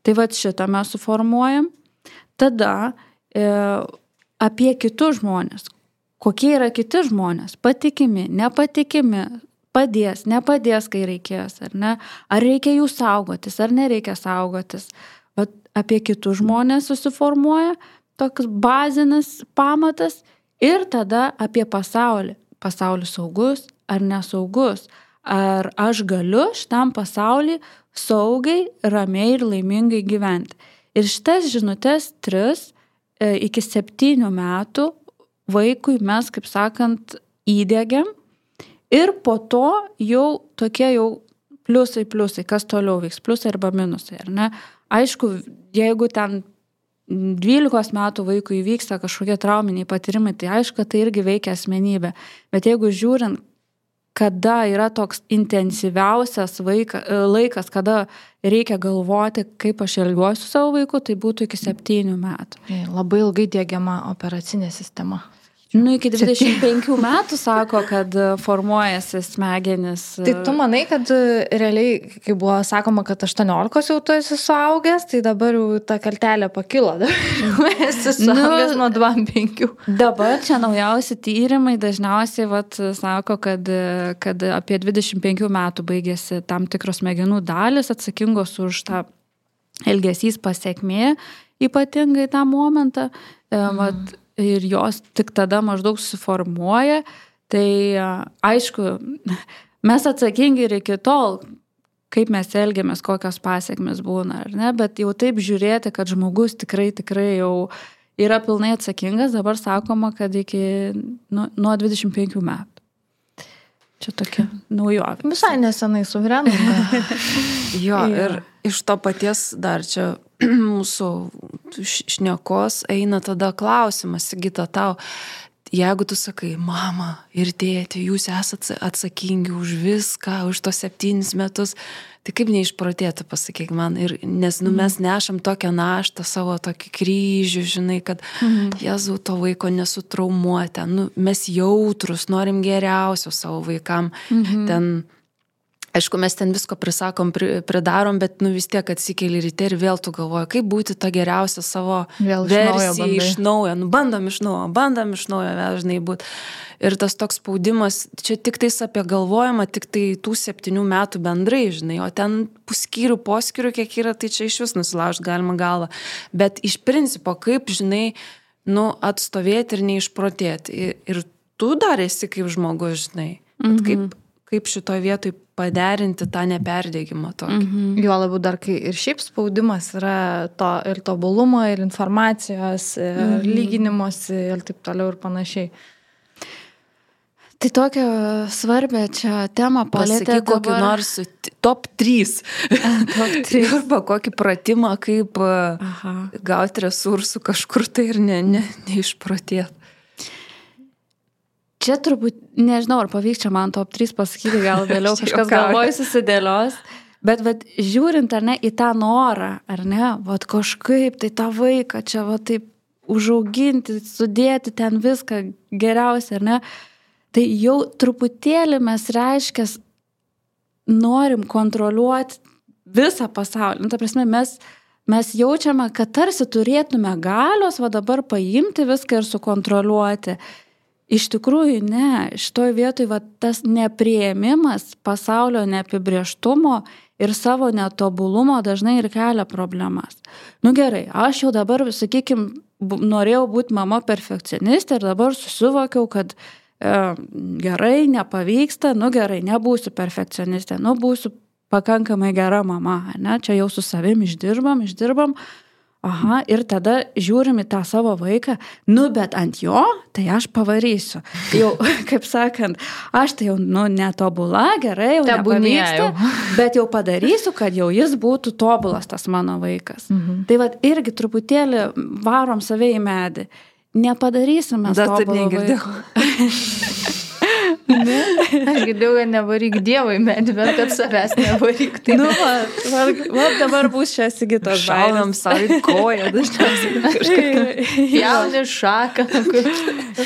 Tai vat šitą mes suformuojam. Tada e, apie kitus žmonės. Kokie yra kiti žmonės? Patikimi, nepatikimi, padės, nepadės, kai reikės, ar ne? Ar reikia jų saugotis, ar nereikia saugotis. Bet apie kitus žmonės susiformuoja toks bazinis pamatas ir tada apie pasaulį. Pasaulis saugus ar nesaugus. Ar aš galiu šitam pasaulį saugiai, ramiai ir laimingai gyventi. Ir šitas žinutės tris e, iki septynių metų vaikui mes, kaip sakant, įdiegiam. Ir po to jau tokie jau pliusai, pliusai, kas toliau vyks, pliusai arba minusai, ar ne? Aišku, jeigu ten dvylikos metų vaikui vyksta kažkokie trauminiai patyrimai, tai aišku, tai irgi veikia asmenybę. Bet jeigu žiūrint, kada yra toks intensyviausias vaika, laikas, kada reikia galvoti, kaip aš elgiuosi su savo vaiku, tai būtų iki septynių metų. Labai ilgai diegiama operacinė sistema. Nu, iki dvidešimt penkių metų sako, kad formuojasi smegenis. Tai tu manai, kad realiai, kai buvo sakoma, kad aštuoniolikos jau tu esi suaugęs, tai dabar jau ta kartelė pakilo, dabar esi suaugęs nu, nuo dvidešimt penkių. Dabar čia naujausi tyrimai dažniausiai vat, sako, kad, kad apie dvidešimt penkių metų baigėsi tam tikros smegenų dalis atsakingos už tą elgesys pasekmė, ypatingai tą momentą. Mm. Vat, ir jos tik tada maždaug suformuoja, tai aišku, mes atsakingi ir iki tol, kaip mes elgiamės, kokios pasiekmes būna, ar ne, bet jau taip žiūrėti, kad žmogus tikrai, tikrai jau yra pilnai atsakingas, dabar sakoma, kad iki nu, nuo dvidešimt penkių metų. Čia tokia naujovė. Visai nesenai suverenai. Jo, ir iš to paties dar čia mūsų šnekos eina tada klausimas, Sigita, tau, jeigu tu sakai, mama ir tėti, jūs esate atsakingi už viską, už tos septynis metus, tai kaip neišprotėti, pasakyk man. Ir, nes nu, mes nešam tokią naštą, savo tokį kryžių, žinai, kad mhm. Jėzau, to vaiko nesutraumuoti. Nu, mes jautrus, norim geriausio savo vaikam. Mhm. Ten, aišku, mes ten visko prisakom, pridarom, bet nu, vis tiek atsikeli ryte ir vėl tu galvoji, kaip būti tą geriausią savo vėl versiją iš naujo. Nu, bandom iš naujo, bandom iš naujo vėl žinai būti. Ir tas toks spaudimas, čia tik tais apie galvojimą, tik tai tų septynių metų bendrai, žinai, o ten puskyrių, poskyrių, kiek yra, tai čia iš vis nusilaužt galima galvą. Bet iš principo, kaip, žinai, nu, atstovėti ir neišprotėti. Ir, ir tu dar esi kaip žmogus, žinai, mhm. kaip, kaip šitoje vietoje paderinti tą neperdėgimą tokį. Mhm. Jo labiau dar, kai ir šiaip spaudimas yra to, ir tobulumo, ir informacijos, ir mhm. lyginimosi, ir taip toliau ir panašiai. Tai tokią svarbę čia temą palėtė dabar... kokį nors top trys. top trys. Arba kokį pratimą, kaip Aha. gauti resursų kažkur tai ir ne, ne, neišprotėti. Čia turbūt, nežinau, ar pavyks čia man top trys pasakyti, gal vėliau kažkas galvoj susidėlios, bet vat, žiūrint ar ne į tą norą, ar ne, vat kažkaip tai tą vaiką čia vat taip užauginti, sudėti ten viską geriausia, ar ne, tai jau truputėlį mes reiškės norim kontroliuoti visą pasaulį. Nu, ta prasme, mes, mes jaučiame, kad tarsi turėtume galios, va dabar paimti viską ir sukontroliuoti. Iš tikrųjų, ne. Šitoj vietoj va, tas nepriėmimas pasaulio neapibrėžtumo ir savo netobulumo dažnai ir kelia problemas. Nu gerai, aš jau dabar, sakykim, norėjau būti mama perfekcionistė ir dabar susivokiau, kad gerai, nepavyksta, nu gerai, nebūsiu perfekcionistė, nu būsiu pakankamai gera mama, ne, čia jau su savim išdirbam, išdirbam, aha, ir tada žiūrim į tą savo vaiką, nu bet ant jo, tai aš pavarysiu. Jau, kaip sakant, aš tai jau, nu, netobula, gerai, jau nepavyksta, bet jau padarysiu, kad jau jis būtų tobulas tas mano vaikas. Mhm. Tai vat irgi truputėlį varom save į medį. Nepadarysim mes tobulo vaiko. Ne? Aš girdėjau, kad nevaryk Dievui medį, bet kad savęs nevaryk. Tai... Nu, va, va, va dabar bus čia Sigitos šaunam savo koją, dažniausiai kažkaip. Jauni šaką.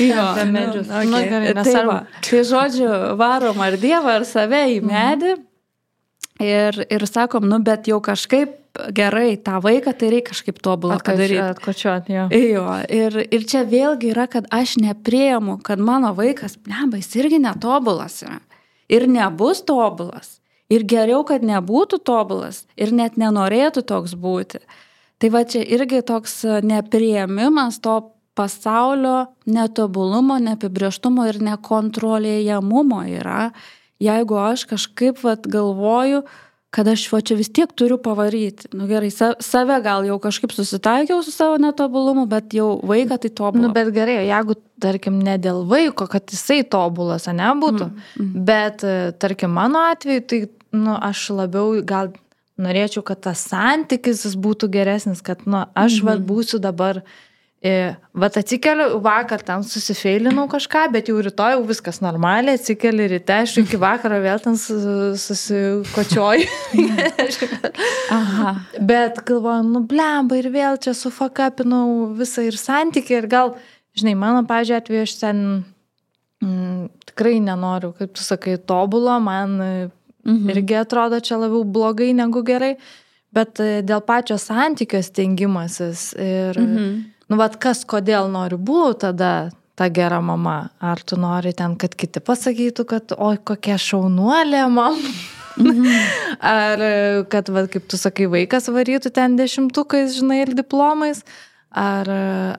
Jo, medžius. Nu, okay. Nu, tai, va, tai žodžiu, varom ar Dievą, ar save į medį. Ir, ir sakom, nu, bet jau kažkaip gerai, tą vaiką tai reikia kažkaip tobulą padaryti. Atkočiuot, jo. Jo. Ir, ir čia vėlgi yra, kad aš nepriemu, kad mano vaikas, neba, jis irgi netobulas yra. Ir nebus tobulas. Ir geriau, kad nebūtų tobulas. Ir net nenorėtų toks būti. Tai va čia irgi toks nepriėmimas to pasaulio netobulumo, neapibrėžtumo ir nekontroliuojamumo yra. Jeigu aš kažkaip vat, galvoju, kad aš va, čia vis tiek turiu pavaryti. Nu gerai, save gal jau kažkaip susitaikiau su savo netobulumu, bet jau vaiką tai tobulą. Nu bet gerai, jeigu, tarkim, ne dėl vaiko, kad jisai tobulas, ne, būtų, mm, mm. bet, tarkim, mano atveju, tai, nu, aš labiau gal norėčiau, kad tas santykis jis būtų geresnis, kad, nu, aš, mm. va, būsiu dabar... Vat atsikeliu, vakar ten susifeilinau kažką, bet jau rytoj jau viskas normaliai, atsikeli ryte, aš iki vakaro vėl ten susikočioju. Aha. Bet galvoju, nu blemba ir vėl čia sufakapinau visą ir santykį ir gal, žinai, mano, pavyzdžiui, atveju aš ten mm, tikrai nenoriu, kaip tu sakai, tobulo, man mhm. irgi atrodo čia labiau blogai negu gerai, bet dėl pačio santykio stengimasis ir... Mhm. Nu, vat kas, kodėl nori būti tada ta gera mama? Ar tu nori ten, kad kiti pasakytų, kad oi, kokia šaunuolė mama? Mm-hmm. Ar kad, vat, kaip tu sakai, vaikas varytų ten dešimtukais, žinai, ir diplomais? Ar,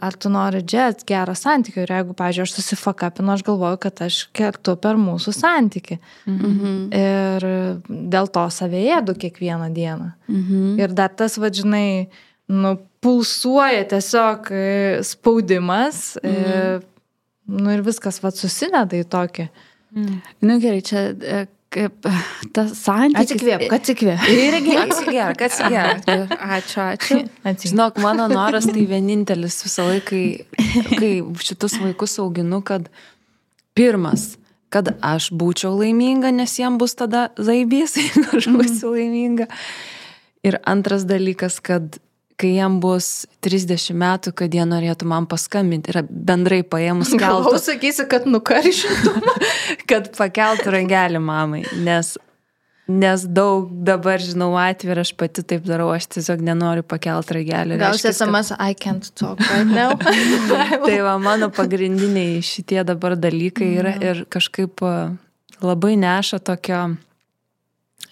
ar tu nori džet gerą santykį? Ir jeigu, pavyzdžiui, aš susifakapinu, aš galvoju, kad aš kertu per mūsų santykį. Mm-hmm. Ir dėl to save ėdu kiekvieną dieną. Mm-hmm. Ir dar tas, va, žinai, nu, pulsuoja tiesiog spaudimas, mm. nu ir viskas vat susineda į tokį. Mm. Nu gerai, čia kaip tas santykis. Atsikvėp, atsikvėp. Irgi atsigėrk, atsigėrk. Ačiū, ačiū. Atsikvėp. Žinok, mano noras tai vienintelis visą laiką, kai, kai šitus vaikus auginu, kad pirmas, kad aš būčiau laiminga, nes jiem bus tada zaibys, jeigu aš būsiu laiminga. Ir antras dalykas, kad kai jam bus trisdešimt metų, kad jie norėtų man paskambinti. Ir bendrai paėmus keltų. Gal sakysi, kad nukaršintum. Kad pakeltų rangelį mamai. Nes, nes daug dabar, žinau, atvirą, aš pati taip darau, aš tiesiog nenoriu pakelti rangelį. Gal S M S, I can't talk right now. Tai va, mano pagrindiniai šitie dabar dalykai yra ir kažkaip labai neša tokio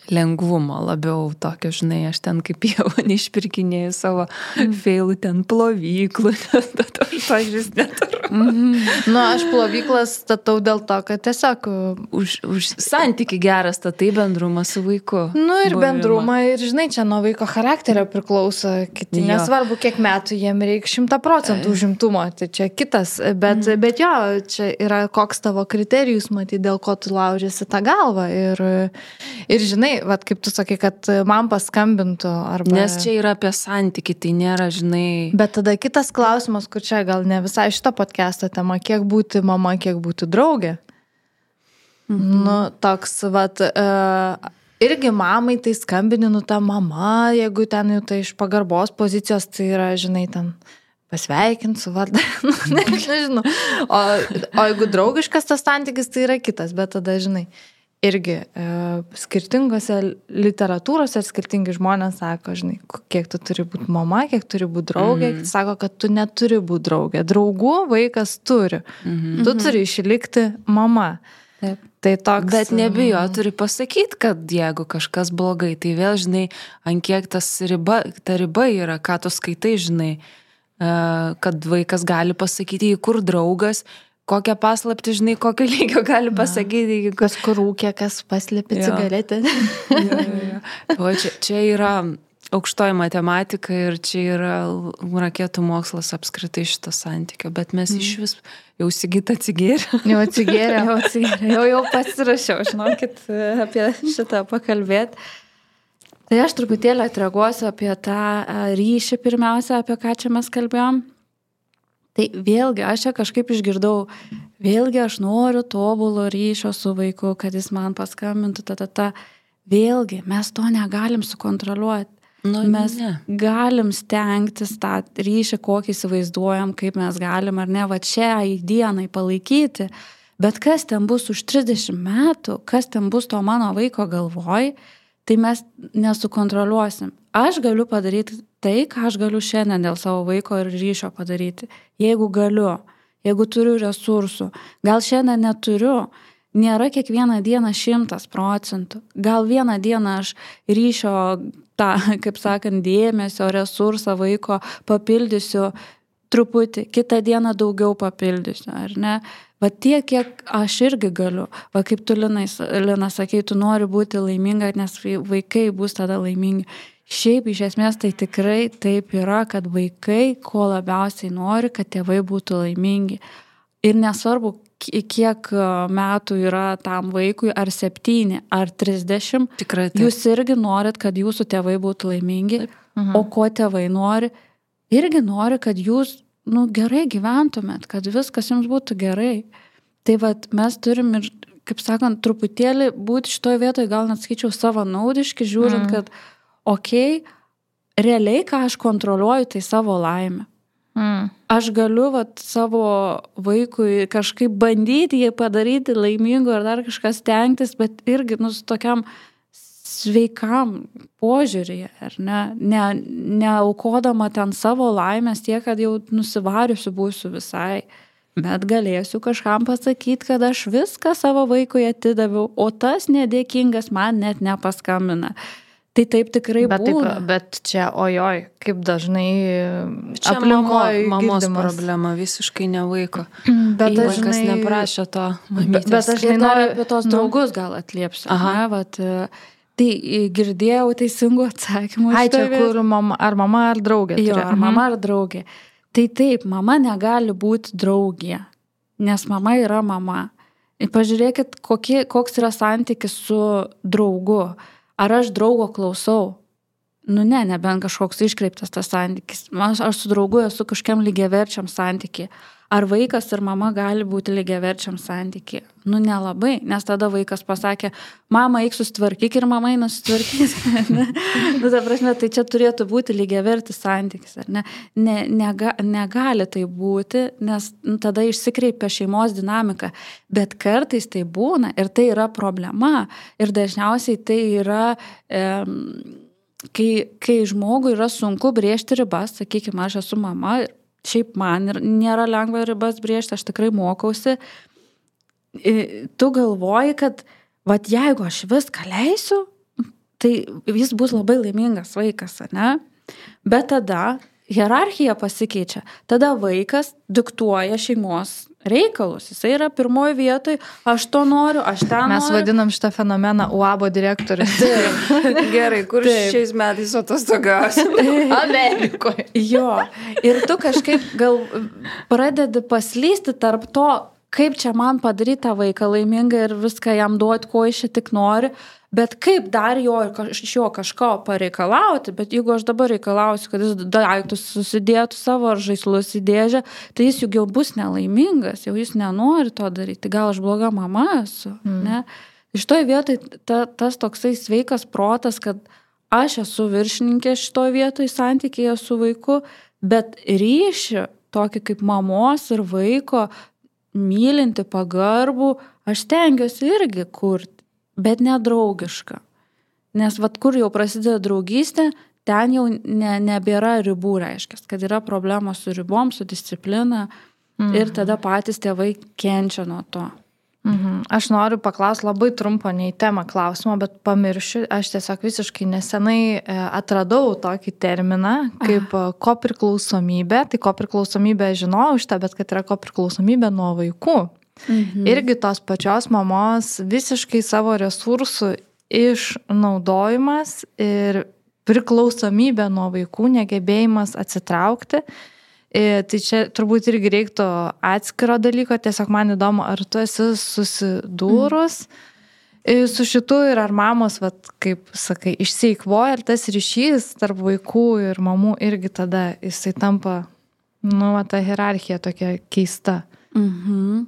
lengvumo, labiau tokio, žinai, aš ten kaip jau neišpirkinėjau savo mm. feilų ten plovyklų, nes tada aš vis neturiu. Mm-hmm. Nu, aš plovyklas statau dėl to, kad tiesiog už, už santykį gerą statai bendrumą su vaiku. Nu ir buvimą. Bendrumą ir, žinai, čia nuo vaiko charakterio priklauso kiti, jo. Nesvarbu, kiek metų jiem reikia šimtą procentų užimtumo, tai čia kitas, bet, mm. bet jo, čia yra koks tavo kriterijus, matyti, dėl ko tu laužiasi tą galvą ir, ir žinai, vat, kaip tu sakai, kad man paskambintų. Arba... Nes čia yra apie santykį, tai nėra, žinai... Bet tada kitas klausimas, kur čia gal ne visai šito podcast'o tema, kiek būti mama, kiek būti draugė. Mhm. Nu, toks, vat, uh, irgi mamai tai skambini, nu ta mama, jeigu ten jau tai iš pagarbos pozicijos, tai yra, žinai, ten pasveikint su vardą, nu, ne, nežinau. O, o jeigu draugiškas tas santykis, tai yra kitas, bet tada, žinai, irgi e, skirtingose literatūrose skirtingi žmonės sako, žinai, kiek tu turi būti mama, kiek turi būti draugė, mm. sako, kad tu neturi būti draugė. Draugų vaikas turi. Mm-hmm. Tu turi išlikti mama. Taip. Tai toks... Bet nebijo, turi pasakyti, kad jeigu kažkas blogai, tai vėl, žinai, ant kiek tas riba, ta riba yra, ką tu skaitai, žinai, kad vaikas gali pasakyti, kur draugas, kokią paslaptį, žinai, kokio lygio gali pasakyti. Na, kas kur rūkė, kas paslėpė cigaretę. Jo, jo, jo. O čia, čia yra aukštoji matematika ir čia yra raketų mokslas apskritai šito santykio, bet mes mm. iš vis jau Sigita atsigėrė. Jau atsigėrė, jau atsigėrė, jau, jau pasirašiau, žinokit, apie šitą pakalbėti. Tai aš truputėlį atreaguosiu apie tą ryšį pirmiausia, apie ką čia mes kalbėjom. Tai vėlgi, aš čia kažkaip išgirdau, vėlgi aš noriu tobulo ryšio su vaiku, kad jis man paskambintų, ta, ta, ta. Vėlgi, mes to negalim sukontroliuoti. Nu, mes ne. galim stengtis tą ryšį, kokį įsivaizduojam, kaip mes galim ar ne, va čia į dienai palaikyti. Bet kas ten bus už trisdešimt metų, kas ten bus to mano vaiko galvoj, tai mes nesukontroliuosim. Aš galiu padaryti tai, ką aš galiu šiandien dėl savo vaiko ir ryšio padaryti. Jeigu galiu, jeigu turiu resursų, gal šiandien neturiu, nėra kiekvieną dieną šimtas procentų. Gal vieną dieną aš ryšio, tą, kaip sakant, dėmesio, resursą vaiko papildysiu truputį, kitą dieną daugiau papildysiu, ar ne? Va tiek, kiek aš irgi galiu. Va kaip tu, Lina, Lina sakei, tu nori būti laiminga, nes vaikai bus tada laimingi. Šiaip iš esmės tai tikrai taip yra, kad vaikai ko labiausiai nori, kad tėvai būtų laimingi. Ir nesvarbu, kiek metų yra tam vaikui, ar septyni, ar trisdešimt, tikrai taip. Jūs irgi norit, kad jūsų tėvai būtų laimingi. Mhm. O ko tėvai nori? Irgi nori, kad jūs nu, gerai gyventumėt, kad viskas jums būtų gerai. Tai vat, mes turim ir, kaip sakant, truputėlį būti šitoje vietoje, gal net skaičiau savanaudiški, žiūrint, mm. kad okei, okay, realiai, ką aš kontroliuoju, tai savo laimę. Mm. Aš galiu vat, savo vaikui kažkaip bandyti jį padaryti laimingu ar dar kažkas stengtis, bet irgi nu, su tokiam sveikam požiūrėje, ar ne, ne, neaukodama ten savo laimės tiek, kad jau nusivariusiu būsiu visai, bet galėsiu kažkam pasakyti, kad aš viską savo vaikui atidaviau, o tas nedėkingas man net nepaskambina. Tai taip tikrai bet būna. Taip, bet čia, ojoj, kaip dažnai čia aplinkoje mamos girdimas. Problema, visiškai ne vaiko. Bet vaikas žinai, neprašė to mamytės. Bet aš žinai, noriu apie tos draugus gal atliepsiu. Aha. Ne, vat, Tai girdėjau teisingų atsakymų. Ai, čia kur mama, ar mama, ar draugė. Jo, turi. ar mama, ar draugė. Tai taip, mama negali būti draugė, nes mama yra mama. Ir pažiūrėkit, kokie, koks yra santykis su draugu. Ar aš draugo klausau? Nu ne, nebent kažkoks iškreiptas tas santykis. Aš, aš su draugu esu kažkiam lygiaverčiam santykiai. Ar vaikas ir mama gali būti lygiaverčiam santykiai? Nu nelabai, nes tada vaikas pasakė, mama eik susitvarkyk ir mama eina susitvarkys. Nu, ta prasme, tai čia turėtų būti lygiavertis santykis. Ar ne? Ne, nega, negali tai būti, nes nu, tada išsikreipia šeimos dinamika. Bet kartais tai būna ir tai yra problema. Ir dažniausiai tai yra... E, Kai, kai žmogui yra sunku brėžti ribas, sakykime, aš esu mama, šiaip man ir nėra lengva ribas brėžti, aš tikrai mokausi, tu galvoji, kad vat, jeigu aš viską leisiu, tai jis bus labai laimingas vaikas, ne? Bet tada hierarchija pasikeičia, tada vaikas diktuoja šeimos reikalus, jisai yra pirmoje vietoje, aš to noriu, aš ten Mes noriu. vadinam šitą fenomeną U A B O direktorius. Gerai, kur Taip. šiais metais atostogausim? Amerikoje. Jo, ir tu kažkaip gal pradedi paslysti tarp to, kaip čia man padaryti tą vaiką laimingą ir viską jam duoti, ko iš čia tik nori, bet kaip dar jo iš jo kažko pareikalauti, bet jeigu aš dabar reikalausiu, kad jis daiktus susidėtų savo ar žaislus į dėžę, tai jis juk jau bus nelaimingas, jau jis nenori to daryti, tai gal aš bloga mama esu, mm. ne? Iš toj vietoj ta, tas toksai sveikas protas, kad aš esu viršininkė šitoj vietoj santykėje su vaiku, bet ryšį tokį kaip mamos ir vaiko mylinti pagarbų, aš stengiuosi irgi kurti. Bet nedraugiška. Nes vat kur jau prasideda draugystė, ten jau ne, nebėra ribų, reiškia, kad yra problemos su ribom, su disciplina mhm. ir tada patys tėvai kenčia nuo to. Mhm. Aš noriu paklausti labai trumpo, ne į temą klausimo, bet pamiršiu, aš tiesiog visiškai nesenai atradau tokį terminą kaip Aha. kopriklausomybė. Tai kopriklausomybė žinojau šitą, bet kad yra kopriklausomybė nuo vaikų. Mhm. Irgi tos pačios mamos visiškai savo resursų išnaudojimas ir priklausomybė nuo vaikų, negebėjimas atsitraukti. Ir tai čia turbūt irgi reiktų atskiro dalyko, tiesiog man įdomu, ar tu esi susidūrus mhm. su šitu ir ar mamos, vat, kaip sakai, išseikvoja, ar tas ryšys tarp vaikų ir mamų irgi tada jisai tampa, nu, ta hierarchija tokia keista. Mhm.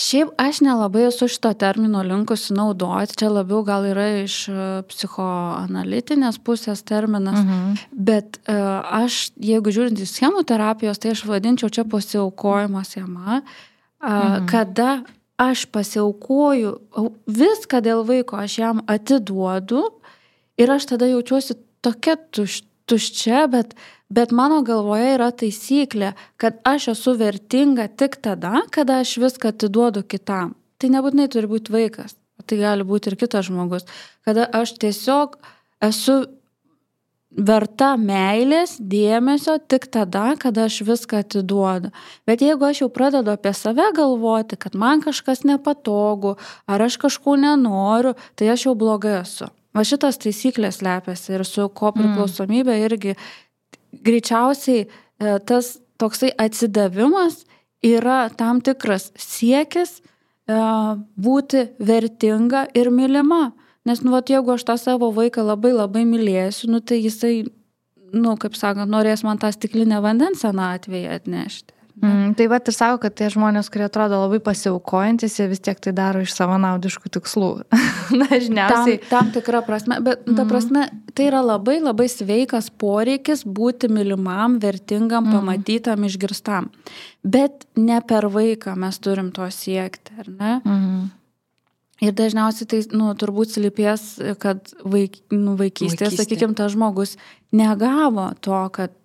Šiaip aš nelabai esu šito termino linkusi naudoti, čia labiau gal yra iš psichoanalitinės pusės terminas, mhm. bet uh, aš, jeigu žiūrint į schemų terapijos, tai aš vadinčiau čia pasiaukojimo schema, uh, mhm. kada aš pasiaukoju viską dėl vaiko, aš jam atiduodu ir aš tada jaučiuosi tokia tuš, tuščia, bet Bet mano galvoje yra taisyklė, kad aš esu vertinga tik tada, kada aš viską atiduodu kitam. Tai nebūtinai turi būti vaikas, tai gali būti ir kitas žmogus. Kada aš tiesiog esu verta meilės, dėmesio tik tada, kada aš viską atiduodu. Bet jeigu aš jau pradedu apie save galvoti, kad man kažkas nepatogu, ar aš kažko nenoriu, tai aš jau blogai esu. Va šitas taisyklės slepiasi ir su kopriklausomybė irgi greičiausiai tas toksai atsidavimas yra tam tikras siekis būti vertinga ir mylima. Nes, nu, vat, jeigu aš tą savo vaiką labai labai mylėsiu, nu, tai jisai, nu, kaip sakant, norės man tą stiklinę vandens senatvėje atnešti. Mm, tai vat ir sako, kad tie žmonės, kurie atrodo labai pasiaukojantis, jie vis tiek tai daro iš savanaudiškų tikslų. Dažniausiai. Tam, tam tikra prasme, bet mm. ta prasme, tai yra labai labai sveikas poreikis būti mylimam, vertingam, mm. pamatytam, išgirstam. Bet ne per vaiką mes turim to siekti, ar ne? Mm. Ir dažniausiai tai, nu, turbūt slypės, kad vaik, nu, vaikystėje, Vaikystė. sakykime, tas žmogus negavo to, kad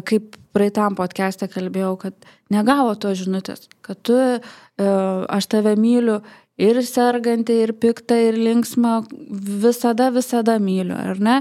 kaip praeitam podcast'e kalbėjau, kad negavo to žinutės, kad tu, aš tave myliu ir sergantį, ir piktą, ir linksmą, visada, visada myliu, ar ne?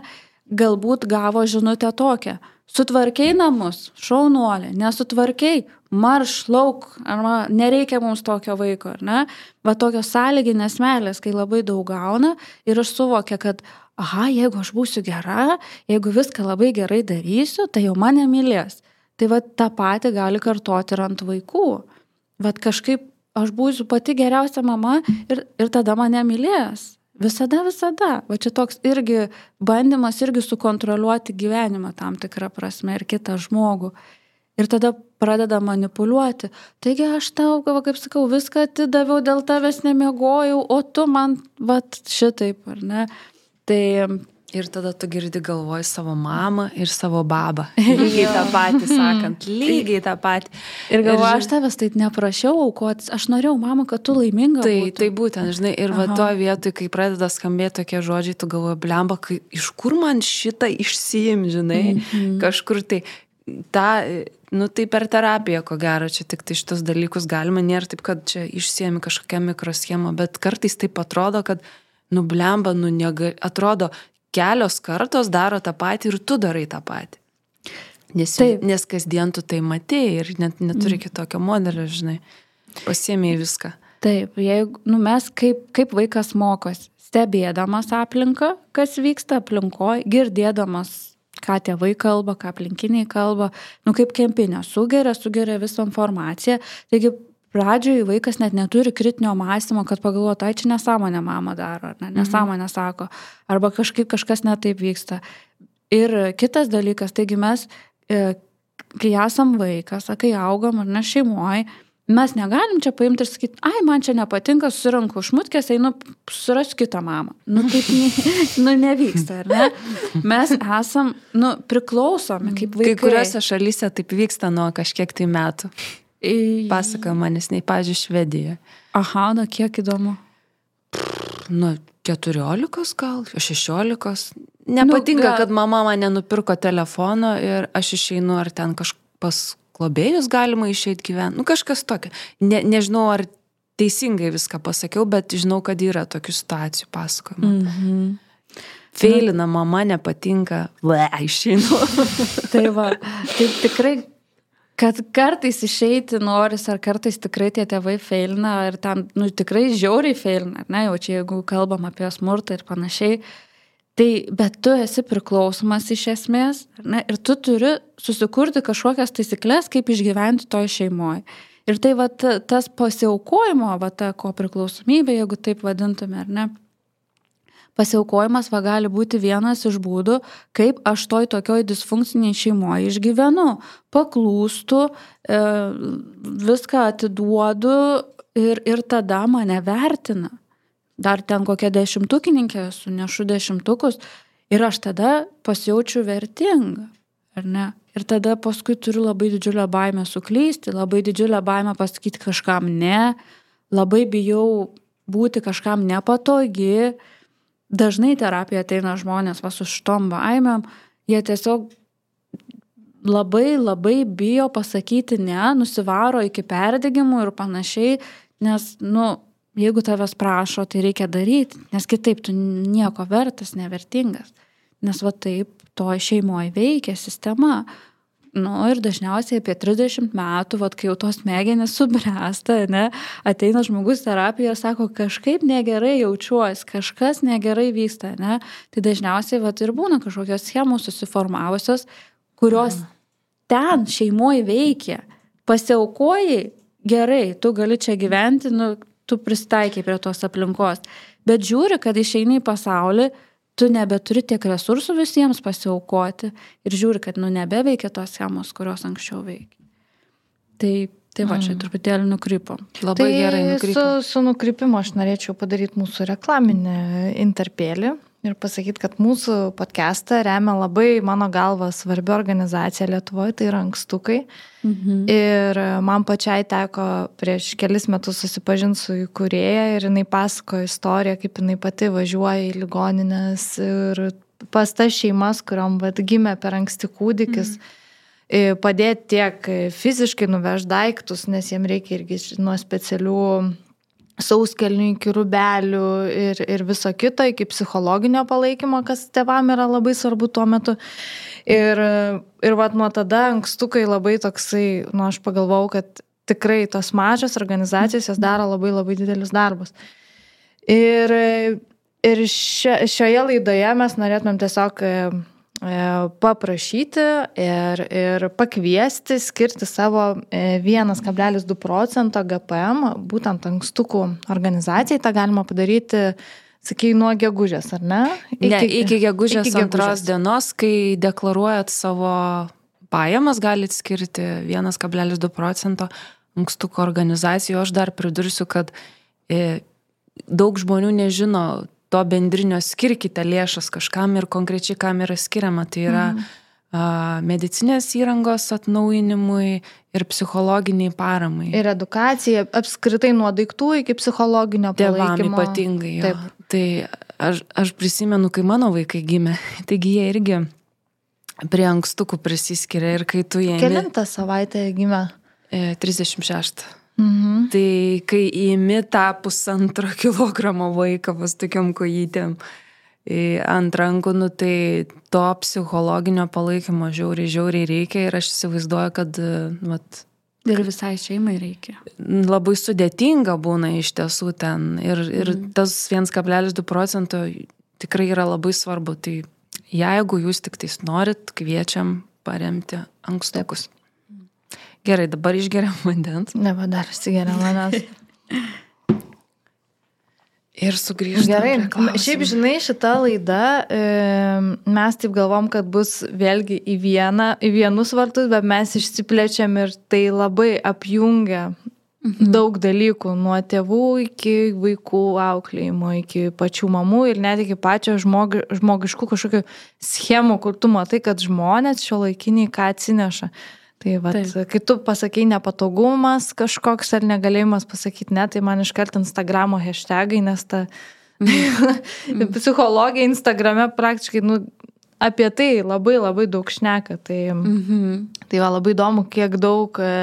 galbūt gavo žinutę tokią. Sutvarkiai namus, šaunuolė, nesutvarkiai, marš, lauk, arba nereikia mums tokio vaiko, ar ne? Va tokios sąlyginės meilės, kai labai daug gauna ir aš suvokia, kad, aha, jeigu aš būsiu gera, jeigu viską labai gerai darysiu, tai jau mane mylės. Tai va tą patį gali kartoti ir ant vaikų. Va kažkaip aš būsiu pati geriausia mama ir, ir tada mane mylės. Visada, visada. Va čia toks irgi bandymas irgi sukontroliuoti gyvenimą tam tikrą prasme ir kitą žmogų. Ir tada pradeda manipuliuoti. Taigi aš tau, kaip sakau, viską atidaviau, dėl tavęs nemiegojau, o tu man, va, šitaip, ar ne? Tai... Ir tada tu girdi galvoj savo mamą ir savo babą. Lygiai tą patį sakant, lygiai tą patį. Ir galvoju, aš tavęs taip neprašiau aukotis, aš norėjau, mama, kad tu laiminga tai, būtum. Tai būtent, žinai, ir va to vietoj, kai pradeda skambėti tokie žodžiai, tu galvoji, blemba, kai, iš kur man šitą išsiim, žinai, mm-hmm. kažkur tai, ta, nu tai per terapiją, ko gero, čia tik tai šitos dalykus galima, nėra taip, kad čia išsiemi kažkokią mikroschemą, bet kartais taip atrodo, kad, nu blemba, nu negali, atrodo, kelios kartos daro tą patį ir tu darai tą patį. Nes, nes kasdien tu tai matėjai ir net neturi mm. kitokio modelio, žinai. Pasiėmėjai viską. Taip, jeigu, nu mes kaip, kaip vaikas mokosi, stebėdamas aplinką, kas vyksta aplinkoje, girdėdamas, ką tėvai kalba, ką aplinkiniai kalba, nu kaip kempinė, sugeria, sugeria visą informaciją. Taigi, pradžioje vaikas net neturi kritinio mąstymo, kad pagalvoja, tai čia nesąmonė mama daro, ar ne, nesąmonė sako, arba kažkaip kažkas netaip vyksta. Ir kitas dalykas, taigi mes, kai esam vaikas, kai augam ar ne šeimoje, mes negalim čia paimti ir sakyti, ai, man čia nepatinka, susiranku šmutkės, einu susirasiu kitą mamą. Nu, taip ne, nu, nevyksta, ar ne? Mes esam, nu, priklausomi kaip vaikai. Kai kuriuose šalyse taip vyksta nuo kažkiek tai metų. Pasakoja manis, nei, pavyzdžiui, Švedija. Aha, nu kiek įdomu. Nu, keturiolikos gal, šešiolikos. Nepatinka, nu, gal... kad mama mane nupirko telefono ir aš išeinu, ar ten kažpas globėjus galima išeiti gyventi. Nu, kažkas tokio. Ne, nežinau, ar teisingai viską pasakiau, bet žinau, kad yra tokių situacijų pasakojama. Mhm. Feilina, mama nepatinka, le, išeinu. Tai va, tai tikrai... Kad kartais išeiti noris, ar kartais tikrai tie tėvai feilina, ir ten, nu, tikrai žiauriai feilina, ne, jau čia jeigu kalbam apie smurtą ir panašiai, tai, bet tu esi priklausomas iš esmės, ne, ir tu turi susikurti kažkokias taisyklės, kaip išgyventi toj šeimoje. Ir tai, va, tas pasiaukojimo, va, ta ko priklausomybė, jeigu taip vadintume, ar ne, pasiaukojimas va gali būti vienas iš būdų, kaip aš toj tokioj disfunkciniai šeimoje išgyvenu. Paklūstu, e, viską atiduodu ir, ir tada mane vertina. Dar ten kokia dešimtukininkė, sunešu dešimtukus ir aš tada pasijaučiu vertinga, ar ne? Ir tada paskui turiu labai didžiulę baimę suklysti, labai didžiulę baimę pasakyti kažkam ne, labai bijau būti kažkam nepatogi. Dažnai terapija ateina žmonės va su šitom baimėm, jie tiesiog labai labai bijo pasakyti ne, nusivaro iki perdegimų ir panašiai, nes, nu, jeigu tavęs prašo, tai reikia daryti, nes kitaip tu nieko vertas, nevertingas, nes va taip to šeimoje veikia sistema. Nu, ir dažniausiai apie trisdešimt metų, vat, kai jau tos smegenys subręsta, ne, ateina žmogus terapijoje, sako, kažkaip negerai jaučiuosi, kažkas negerai vyksta, ne, tai dažniausiai vat, ir būna kažkokios schemos susiformavusios, kurios mm. ten šeimoje veikia, pasiaukojai, gerai, tu gali čia gyventi, nu, tu pristaikai prie tos aplinkos, bet žiūri, kad išeini į pasaulį, tu nebeturi tiek resursų visiems pasiaukoti ir žiūri, kad nu nebeveikia tos schemos, kurios anksčiau veikia. Tai, tai va, čia truputėlį nukrypom. Labai tai gerai nukrypom. Su, su nukrypimu aš norėčiau padaryti mūsų reklaminį interpėlį ir pasakyti, kad mūsų podcastą remia labai, mano galva, svarbi organizacija Lietuvoje, tai yra Ankstukai. Mhm. Ir man pačiai teko prieš kelis metus susipažinti su įkūrėja ir jinai pasakojo istoriją, kaip jinai pati važiuoja į ligoninės ir pas tas šeimas, kuriom vat, gimė per anksti kūdikis, mhm. padėti tiek fiziškai nuvežti daiktus, nes jiem reikia irgi nuo specialių sauskelnių iki rūbelių ir, ir viso kito, iki psichologinio palaikymo, kas tėvam yra labai svarbu tuo metu. Ir, ir vat nuo tada ankstukai labai toksai, nu aš pagalvojau, kad tikrai tos mažos organizacijos jos daro labai labai didelius darbus. Ir, ir šio, šioje laidoje mes norėtumėm tiesiog paprašyti ir, ir pakviesti, skirti savo vienas kablelis du procento G P M, būtent ankstukų organizacijai. Ta galima padaryti, sakai, nuo gegužės, ar ne? Iki, ne, iki gegužės iki antros gegužės. Dienos, kai deklaruojat savo pajamas, galit skirti vienas kablelis du procento ankstukų organizacijų. Aš dar pridursiu, kad e, daug žmonių nežino to bendrinio skirkite lėšas kažkam ir konkrečiai kam yra skiriama. Tai yra mm. a, medicinės įrangos atnaujinimui ir psichologiniai paramai. Ir edukacija, apskritai nuo daiktų iki psichologinio palaikymo. Tėvam ypatingai. Jo. Tai aš, aš prisimenu, kai mano vaikai gimė, taigi jie irgi prie ankstukų prisiskiria ir kai tu jie... Kelintą savaitę gimė? E, trisdešimt šeštą. Mhm. Tai kai įimi tą pusantro kilogramo vaiką pas tokiom kojytėm ant rankų, nu, tai to psichologinio palaikymo žiauriai, žiauriai reikia ir aš įsivaizduoju, kad vat, ir visai šeimai reikia. Labai sudėtinga būna iš tiesų ten ir, ir mhm. tas vienas kablelis du procento tikrai yra labai svarbu. Tai jeigu jūs tik tais norit, kviečiam paremti ankstukus. Taip. Gerai, dabar išgeriam vandens. Ne, va dar išsigeriam vandens. Ir sugrįžtam. Gerai, šiaip žinai, šita laida, e, mes taip galvom, kad bus vėlgi į, vieną, į vienus vartus, bet mes išsiplečiam ir tai labai apjungia mhm. daug dalykų, nuo tėvų iki vaikų auklėjimo, iki pačių mamų ir net iki pačio žmogi, žmogiškų kažkokių schemų, kur tu matai, kad žmonės šiuolaikiniai ką atsineša. Tai vat, kai tu pasakai nepatogumas kažkoks ar negalėjimas pasakyti ne, tai man iškart Instagramo hashtagai, nes ta mm. psichologija Instagrame praktiškai nu, apie tai labai labai daug šneka. Tai, mm-hmm. tai va, labai įdomu, kiek daug e,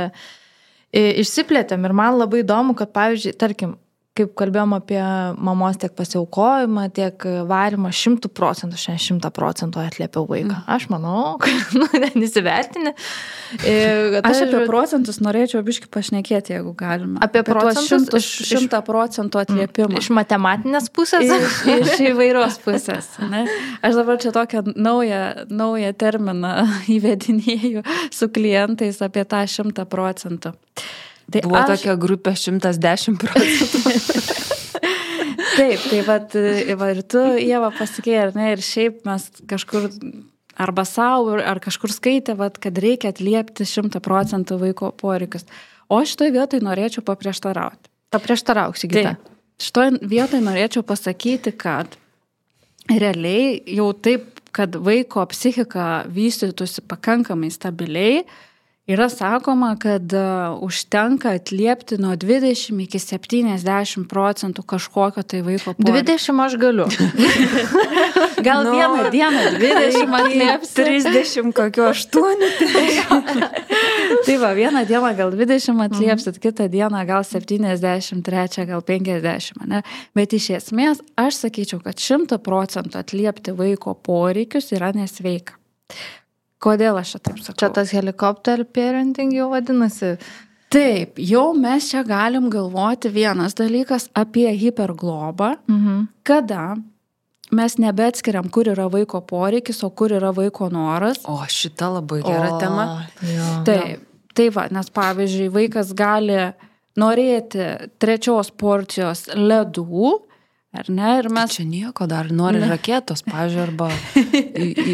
išsiplėtėm ir man labai įdomu, kad pavyzdžiui, tarkim, kaip kalbėjom apie mamos tiek pasiaukojimą, tiek varimą, šimtų procentų, šiandien šimtą procentų atliepiau vaiką. Mm. Aš manau, kad nu, nesivertinė. Aš apie procentus norėčiau biškai pašnekėti, jeigu galima. Apie, apie procentus? Šimtą procentų atliepimą. Iš matematinės pusės? Iš, iš įvairios pusės. Ne? Aš dabar čia tokią naują, naują terminą įvedinėjau su klientais apie tą šimtą procentų. Tai buvo aš... tokia grupė šimtas dešimt procentų. Taip, tai vat, va, ir tu, Ieva, pasakėjai, ar ne, ir šiaip mes kažkur arba savo, ar kažkur skaitė, vat, kad reikia atliepti šimtą procentų vaiko poreikius. O šitoj vietoj norėčiau paprieštarauti. Paprieštarauk, Sigita. Taip, šitoj vietoj norėčiau pasakyti, kad realiai jau taip, kad vaiko psichika vystytųsi pakankamai stabiliai, yra sakoma, kad uh, užtenka atliepti nuo dvidešimt iki septyniasdešimt procentų kažkokio tai vaiko poreikio. dvidešimt aš galiu. Gal no, vieną dieną dvidešimt atliepsi. trisdešimt kokio aštuoni. Tai va, vieną dieną gal dvidešimt atliepsit, mm. kitą dieną gal septyniasdešimt, trečią gal penkiasdešimt. Ne? Bet iš esmės aš sakyčiau, kad šimtą procentų atliepti vaiko poreikius yra nesveika. Kodėl aš čia taip sakau? Čia tas helikopter parenting jau vadinasi. Taip, jau mes čia galim galvoti vienas dalykas apie hiperglobą, mhm. kada mes nebeatskiriam, kur yra vaiko poreikis, o kur yra vaiko noras. O šita labai gera o, tema. Jo. Taip, tai va, nes pavyzdžiui, vaikas gali norėti trečios porcijos ledų, ar ne? Ir mes... Čia nieko dar nori ne. Raketos, pavyzdžiui, arba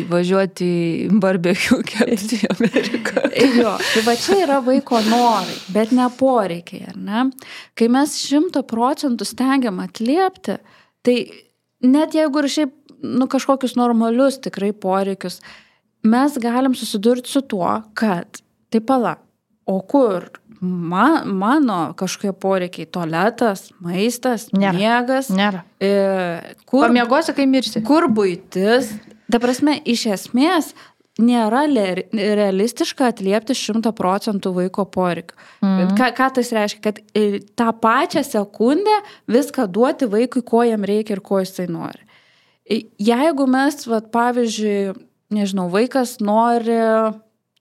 įvažiuoti į barbecue kepti į Ameriką. Jo, tai va čia yra vaiko norai, bet ne poreikiai, ar ne? Kai mes šimtą procentų stengiam atliepti, tai net jeigu ir šiaip nu, kažkokius normalius tikrai poreikius, mes galim susidurti su tuo, kad tai pala, o kur man, mano kažkokie poreikiai, tualetas, maistas, nėra. Miegas. Nėra. E, kur, Pamiegosi, kai mirsi. Kur buitis. Ta prasme, iš esmės, nėra realistiška atliepti šimtą procentų vaiko poreikių. Mm. Ką, ką tas reiškia? Kad tą pačią sekundę viską duoti vaikui, ko jam reikia ir ko jisai nori. Jeigu mes, vat, pavyzdžiui, nežinau, vaikas nori,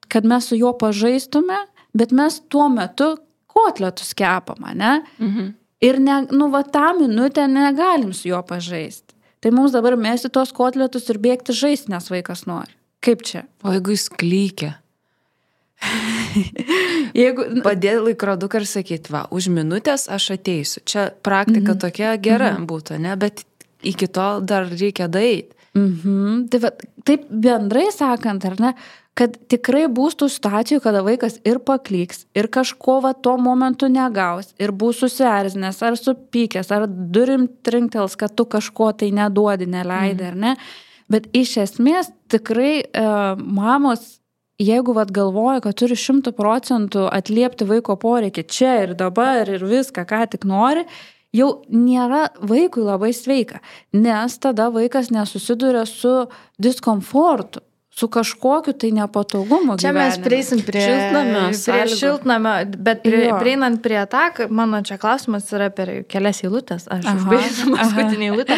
kad mes su juo pažaistume, bet mes tuo metu kotletus kepam, ne? Mhm. Ir ne, nu, va, tą minutę negalim su juo pažaisti. Tai mums dabar mesti tos kotletus ir bėgti žaisti, nes vaikas nori. Kaip čia? O jeigu jis klykia? Jeigu... Padėti laikroduką ir sakyti, va, už minutės aš ateisiu. Čia praktika mm-hmm. tokia gera mm-hmm. būtų, ne? Bet iki to dar reikia daeiti. Mm-hmm. Tai va, taip bendrai sakant, ar ne, kad tikrai bus tų situacijų, kada vaikas ir paklyks, ir kažko va tuo momentu negaus, ir bus susierzinęs, ar supykęs, ar durim trinktels, kad tu kažko tai neduodi, neleidai, mm. ar ne? Bet iš esmės tikrai e, mamos, jeigu vat galvoja, kad turi šimtų procentų atliepti vaiko poreikį čia ir dabar ir viską, ką tik nori, jau nėra vaikui labai sveika, nes tada vaikas nesusiduria su diskomfortu, su kažkokiu tai nepatogumu čia gyvenime. Mes prieisim prie šiltnamio, prie šiltnamio, bet prie, prieinant prie tą, mano čia klausimas yra per kelias eilutės, aš užbaigsiu paskutinį eilutę.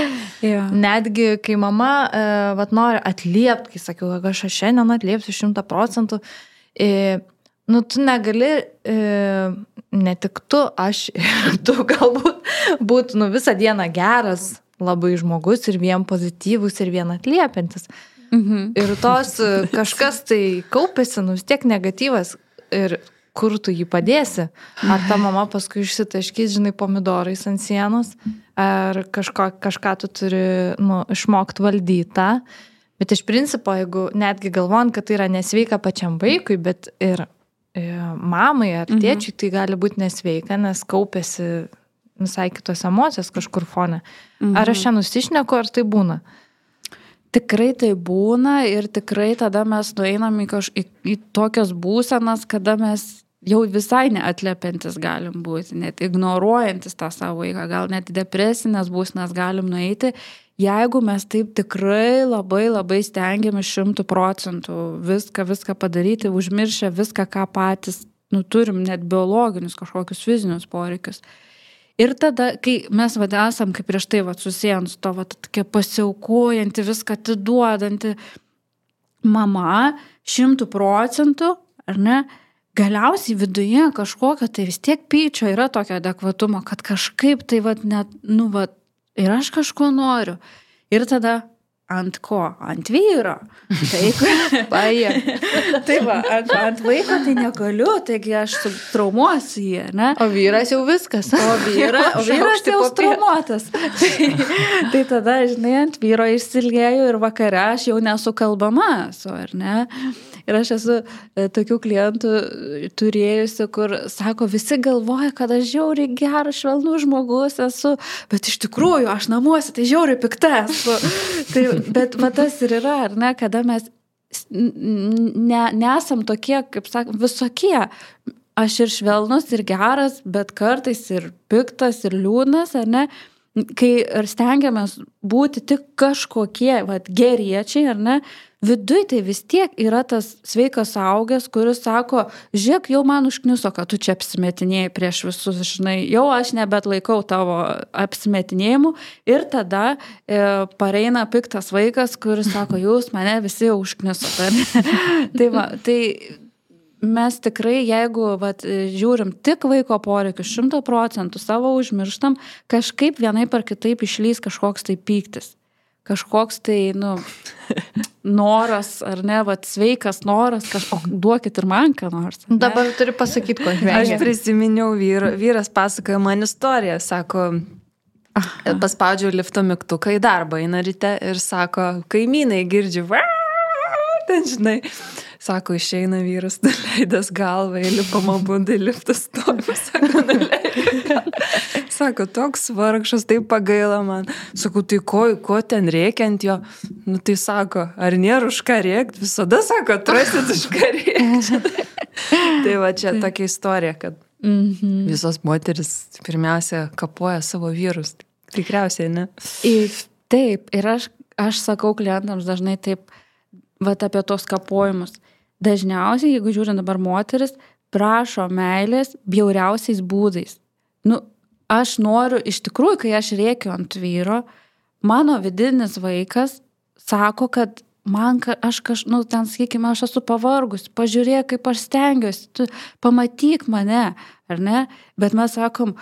Netgi, kai mama e, vat, nori atliepti, kai sakiau, kad aš šiandien atliepsiu šimtą procentų, e, nu tu negali, e, ne tik tu, aš ir tu galbūt būtų nu, visą dieną geras labai žmogus ir vien pozityvus ir vien atliepiantis. Mhm. Ir tos kažkas tai kaupėsi, nu vis tiek negatyvas ir kur tu jį padėsi. Ar ta mama paskui išsitaškys, žinai, pomidorais ant sienos, ar kažko, kažką tu turi nu, išmokti valdyti tą. Bet iš principo, jeigu netgi galvojant, kad tai yra nesveika pačiam vaikui, bet ir e, mamai ar tėčiui, mhm. tai gali būti nesveika, nes kaupėsi visai kitos emocijos kažkur fone. Mhm. Ar aš čia nusišneku, ar tai būna? Tikrai tai būna ir tikrai tada mes nueinam į, kaž, į, į tokias būsenas, kada mes jau visai neatliepiantis galim būti, net ignoruojantis tą savo vaiką, gal net depresinės būsenas galim nueiti, jeigu mes taip tikrai labai labai stengiamės šimtų procentų viską, viską padaryti, užmiršę viską, ką patys nu, turim, net biologinius kažkokius fizinius poreikius. Ir tada, kai mes vad esam, kaip prieš tai vad susijant su to, vad tokia pasiaukojanti, viską atiduodanti mama, šimtų procentų, ar ne, galiausiai viduje kažkokio, tai vis tiek pyčio yra tokio adekvatumo, kad kažkaip tai vad net, nu vad, ir aš kažko noriu. Ir tada ant ko? Ant vyro. Taip, tai va, ant, ant vaiko tai negaliu, taigi aš traumuosiu jį, ne? O vyras jau viskas. O, vyra, o vyras jau traumuotas. tai, tai tada, žinai, ant vyro išsilgėjau ir vakare aš jau nesukalbama esu, ar ne? Ir aš esu tokių klientų turėjusi, kur sako, visi galvoja, kad aš žiauriai geras, švelnus žmogus esu, bet iš tikrųjų aš namuose tai žiauriai pikta esu. Tai, bet va tas ir yra, ar ne, kada mes ne, nesam tokie, kaip sakom, visokie. Aš ir švelnus, ir geras, bet kartais ir piktas, ir liūdnas, ar ne? Kai ir stengiamės būti tik kažkokie, va, geriečiai, ar ne? Viduj tai vis tiek yra tas sveikas suaugęs, kuris sako, žiūrėk, jau man užkniuso, kad tu čia apsimetinėjai prieš visus, žinai, jau aš nebetlaikau tavo apsimetinėjimų ir tada e, pareina piktas vaikas, kuris sako, jūs mane visi jau užkniusote. tai, va, tai mes tikrai, jeigu vat, žiūrim tik vaiko poreikius šimtą procentų savo užmirštam, kažkaip vienaip ar kitaip išlys kažkoks tai pyktis. Kažkoks tai, nu, noras, ar ne, vat, sveikas noras, kažkok, duokit ir man ką nors. Ne? Dabar turi pasakyti, ko žvengia. Aš prisiminiau, vyr, vyras pasakojo man istoriją, sako, Aha. paspaudžiau lifto mygtuką į darbą, eina ryte ir sako, kaimynai girdžiu, ten žinai, sako, išeina vyras, nuleidęs galvą, įlipama būdai, liftas stovi, sako, nuleidęs. Sako, toks vargšas, tai pagaila man. Sako, tai ko, ko ten rėkia ant jo? Nu, tai sako, ar nėra už ką rėkti? Visada sako, atrasit už ką rėkti. Tai va čia tokia istorija, kad mm-hmm. visos moteris pirmiausia kapoja savo vyrus. Tikriausiai, ne? Ir taip, ir aš, aš sakau klientams dažnai taip, vat apie tos kapojimus. Dažniausiai, jeigu žiūrint dabar moteris, prašo meilės bjauriausiais būdais. Nu, aš noriu, iš tikrųjų, kai aš rėkiu ant vyro, mano vidinis vaikas sako, kad man, aš kaž, nu, ten, sakykime, aš esu pavargus, pažiūrėk, kaip aš stengiuosi, tu pamatyk mane, ar ne? Bet mes sakom,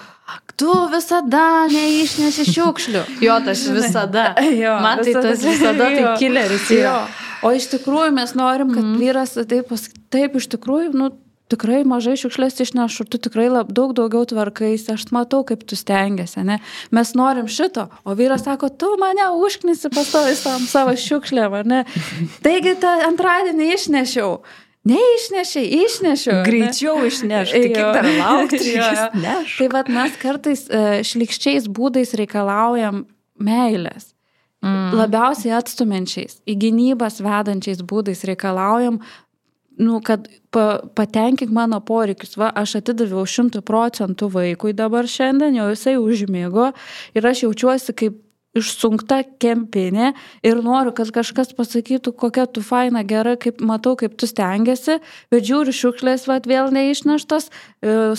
tu visada neišneši šiukšlių. Jo, tas visada. Jo, man tai visada, tas visada tai killeris yra. O iš tikrųjų mes norim, kad mm. vyras taip, taip iš tikrųjų, nu, tikrai mažai šiukšlės išnešu, tu tikrai lab, daug daugiau tvarkais, aš matau, kaip tu stengiasi, ne? Mes norim šito, o vyras sako, tu mane užknisi pastovis tam savo šiukšlėm, ar ne? Taigi tą antradienį išnešiau. Neišnešiai, išnešiau. Greičiau išneš, tai kiek dar laukti reikės neš. Tai vat mes kartais šlykščiais būdais reikalaujam meilės. Mm. Labiausiai atstumiančiais, į gynybas vedančiais būdais reikalaujam, nu, kad pa, patenkink mano poreikius. Va, aš atidaviau šimtų procentų vaikui dabar šiandien, jau jisai užmigo ir aš jaučiuosi kaip išsunkta kempinė ir noriu, kad kažkas pasakytų, kokia tu faina, gera, kaip matau, kaip tu stengiasi, bet žiūri šiukšlės, va, vėl neišneštas,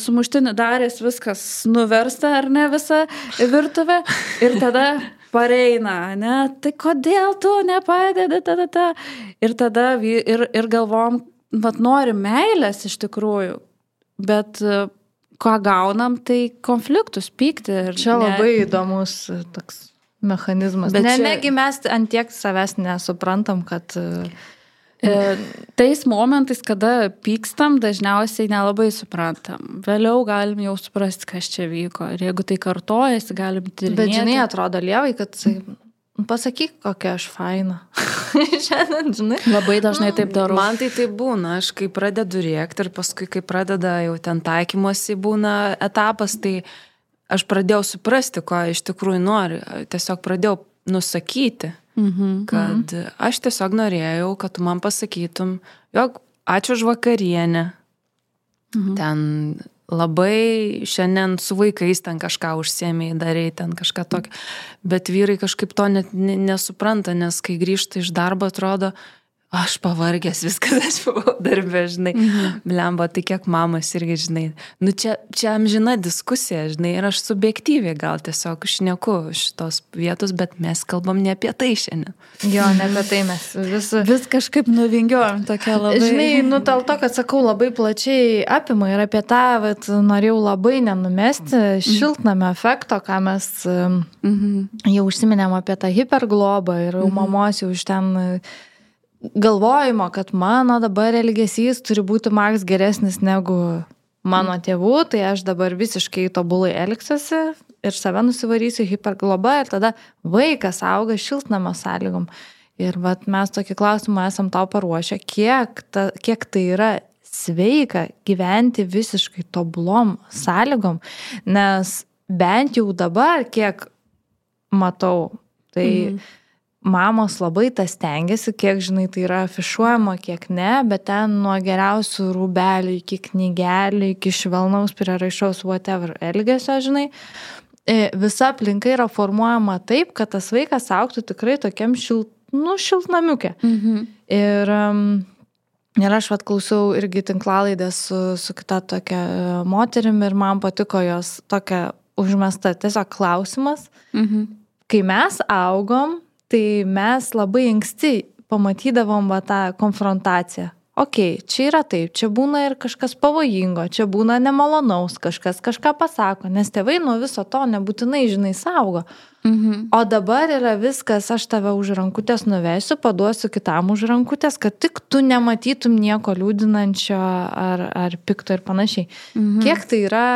sumuštinį darės, viskas nuversta, ar ne, visa virtuvė ir tada pareina, ne, tai kodėl tu nepadedi, tada, tada. Ir tada ir, ir galvom, vat norim meilės iš tikrųjų, bet ką gaunam, tai konfliktus, pykti. Ir čia ne... labai įdomus toks mechanizmas. Bet ne, čia... negi mes ant tiek savęs nesuprantam, kad... E, tais momentais, kada pykstam, dažniausiai nelabai suprantam. Vėliau galim jau suprasti, kas čia vyko. Ir jeigu tai kartojasi, galim tyrinėti. Bet žinai, atrodo lievai, kad pasakyk, kokia aš faina. Šiandien, žinai. Labai dažnai taip darau. Man tai taip būna. Aš kai pradedu rėkti ir paskui, kai pradeda jau ten taikymosi būna etapas, tai aš pradėjau suprasti, ko iš tikrųjų noriu. Tiesiog pradėjau nusakyti. Mhm, kad mhm. aš tiesiog norėjau, kad tu man pasakytum, jog ačiū už vakarienę. Mhm. Ten labai šiandien su vaikais ten kažką užsiėmėjai, darėjai ten kažką tokio. Bet vyrai kažkaip to net nesupranta, nes kai grįžta iš darbo, atrodo, aš pavargęs, viskas, aš buvau darbė, žinai. Mhm. Blemba, tai kiek mamas irgi, žinai. Nu, čia, čia amžina diskusija, žinai, ir aš subjektyviai gal tiesiog šneku šitos vietos, bet mes kalbam ne apie tai šiandien. Jo, ne apie tai mes vis, vis kažkaip nuvingiuojam tokia labai. Žinai, nu, dėl to, kad sakau, labai plačiai apima ir apie tą, vat, norėjau labai nenumesti šiltnamio efekto, ką mes mhm. jau užsiminėm apie tą hiperglobą ir mhm. mamos jau iš ten... galvojimo, kad mano dabar elgesys turi būti maks geresnis negu mano tėvų, tai aš dabar visiškai tobulai elgsiuosi ir save nusivarysiu hipergloba ir tada vaikas auga šiltnamio sąlygom. Ir vat mes tokį klausimą esam tau paruošę, kiek, ta, kiek tai yra sveika gyventi visiškai tobulom sąlygom, nes bent jau dabar, kiek matau, tai mm. mamos labai tas stengiasi, kiek, žinai, tai yra afišuojama, kiek ne, bet ten nuo geriausių rūbelių iki knygelių, iki švelnaus prieraišaus whatever elgesio, žinai, visa aplinka yra formuojama taip, kad tas vaikas augtų tikrai tokiam šilt, nu, šiltnamiukė. Mhm. Ir, ir aš vat klausiau irgi tinklalaidę su, su kita tokia moterim ir man patiko jos tokia užmesta tiesiog klausimas. Mhm. Kai mes augom, tai mes labai anksti pamatydavom va tą konfrontaciją. Ok, čia yra taip, čia būna ir kažkas pavojingo, čia būna nemalonaus, kažkas kažką pasako, nes tėvai nuo viso to nebūtinai, žinai, saugo. Mhm. O dabar yra viskas, aš tave už rankutės nuvesiu, paduosiu kitam už rankutės, kad tik tu nematytum nieko liūdinančio ar, ar pikto ir panašiai. Mhm. Kiek tai yra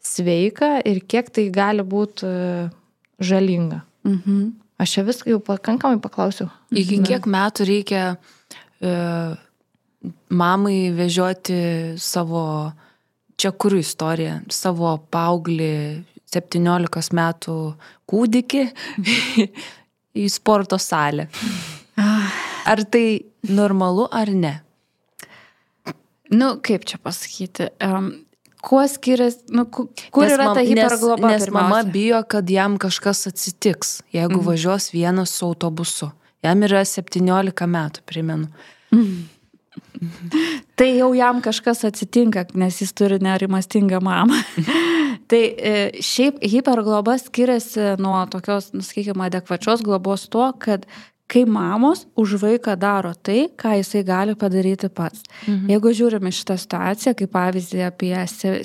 sveika ir kiek tai gali būti žalinga. Mhm. Aš čia viską jau pakankamai paklausiau. Iki kiek metų reikia e, mamai vežioti savo, čia kur istorija, savo paauglį septyniolikos metų kūdikį į sporto salę? Ar tai normalu ar ne? Nu, kaip čia pasakyti? Um, Kuo skiriasi, nu, kur nes yra ta hipergloba? Nes, nes mama bijo, kad jam kažkas atsitiks, jeigu mhm. važiuos vienas su autobusu. Jam yra septyniolika metų, primenu. Tai jau jam kažkas atsitinka, nes jis turi nerimastingą mamą. Tai šiaip hipergloba skiriasi nuo tokios, sakykime, adekvačios globos tuo, kad kai mamos už vaiką daro tai, ką jisai gali padaryti pats. Mhm. Jeigu žiūrime šitą situaciją, kaip pavyzdį apie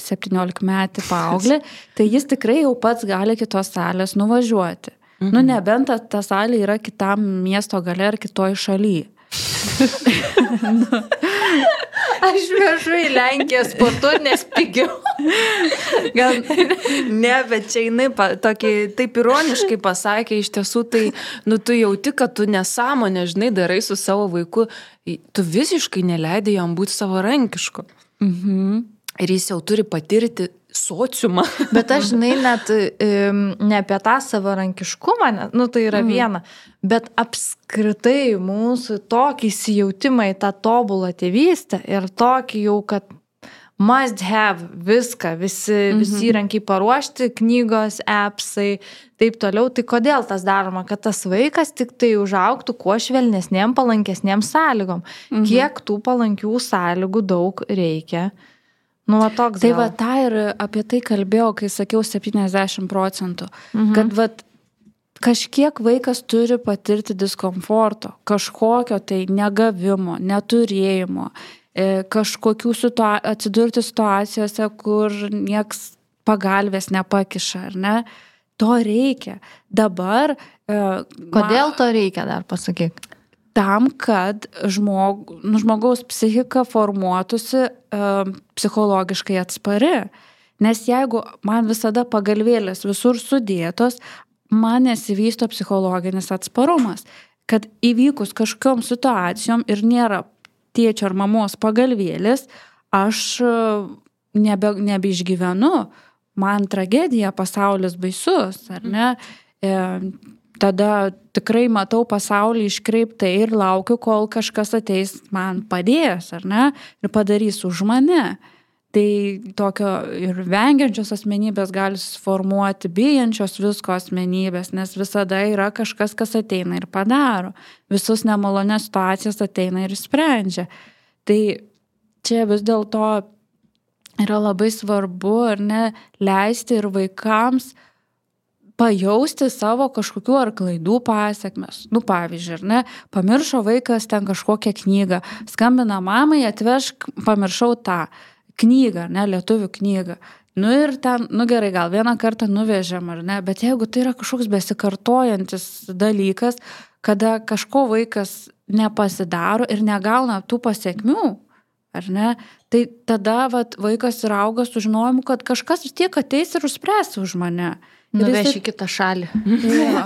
septyniolikmetį paauglį, tai jis tikrai jau pats gali kitos salės nuvažiuoti. Mhm. Nu, nebent ta, ta salė yra kitam miesto gale ar kitoj šalyje. nu. Aš vežu į Lenkiją sportuoti, nes pigiau. Gal ne, bet čia jinai pa, tokį, taip ironiškai pasakė, iš tiesų tai, nu, tu jauti, kad tu nesąmonę, žinai, darai su savo vaiku, tu visiškai neleidai jam būti savarankišku. Mhm. Ir jis jau turi patirti sociumą. Bet aš, žinai, net ne apie tą savarankiškumą, nu tai yra viena, bet apskritai mūsų tokį įsijautimą į tą tobulą tėvystę ir tokį jau, kad must have viską, visi, visi įrankiai paruošti, knygos, appsai, taip toliau. Tai kodėl tas daroma, kad tas vaikas tik tai užaugtų kuo švelnesnėm, palankesnėm sąlygom. Mhm. Kiek tų palankių sąlygų daug reikia. Nu, va, toks tai gal. va, tą ir apie tai kalbėjau, kai sakiau septyniasdešimt procentų. Mhm. Kad va, kažkiek vaikas turi patirti diskomforto, kažkokio tai negavimo, neturėjimo, kažkokių situa- atsidurti situacijose, kur nieks pagalvės nepakiša, ar ne? To reikia. Dabar... Kodėl to reikia, dar pasakyk? Tam, kad žmog, nu, žmogaus psichika formuotųsi e, psichologiškai atspari. Nes jeigu man visada pagalvėlės visur sudėtos, man nesivysto psichologinis atsparumas. Kad įvykus kažkokiom situacijom ir nėra tėčio ar mamos pagalvėlės, aš nebe, nebeišgyvenu. Man tragedija, pasaulis baisus, ar ne? E, Tada tikrai matau pasaulį iškreiptai ir laukiu, kol kažkas ateis man padės, ar ne, ir padarys už mane. Tai tokio ir vengiančios asmenybės gali suformuoti bijančios visko asmenybės, nes visada yra kažkas, kas ateina ir padaro. Visus nemalonės situacijas ateina ir sprendžia. Tai čia vis dėlto yra labai svarbu, ar ne, leisti ir vaikams pajausti savo kažkokių ar klaidų pasiekmes. Nu, pavyzdžiui, ar ne, pamiršo vaikas ten kažkokią knygą, skambina mamai, atvežk, pamiršau tą knygą, ne, lietuvių knygą. Nu ir ten, nu gerai, gal vieną kartą nuvežėm, ar ne, bet jeigu tai yra kažkoks besikartojantis dalykas, kada kažko vaikas nepasidaro ir negauna tų pasiekmių, ar ne, tai tada vat, vaikas ir auga su žinojimu, kad kažkas vis tiek ateis ir užspręs už mane. Nuveš į kitą šalį. Jo,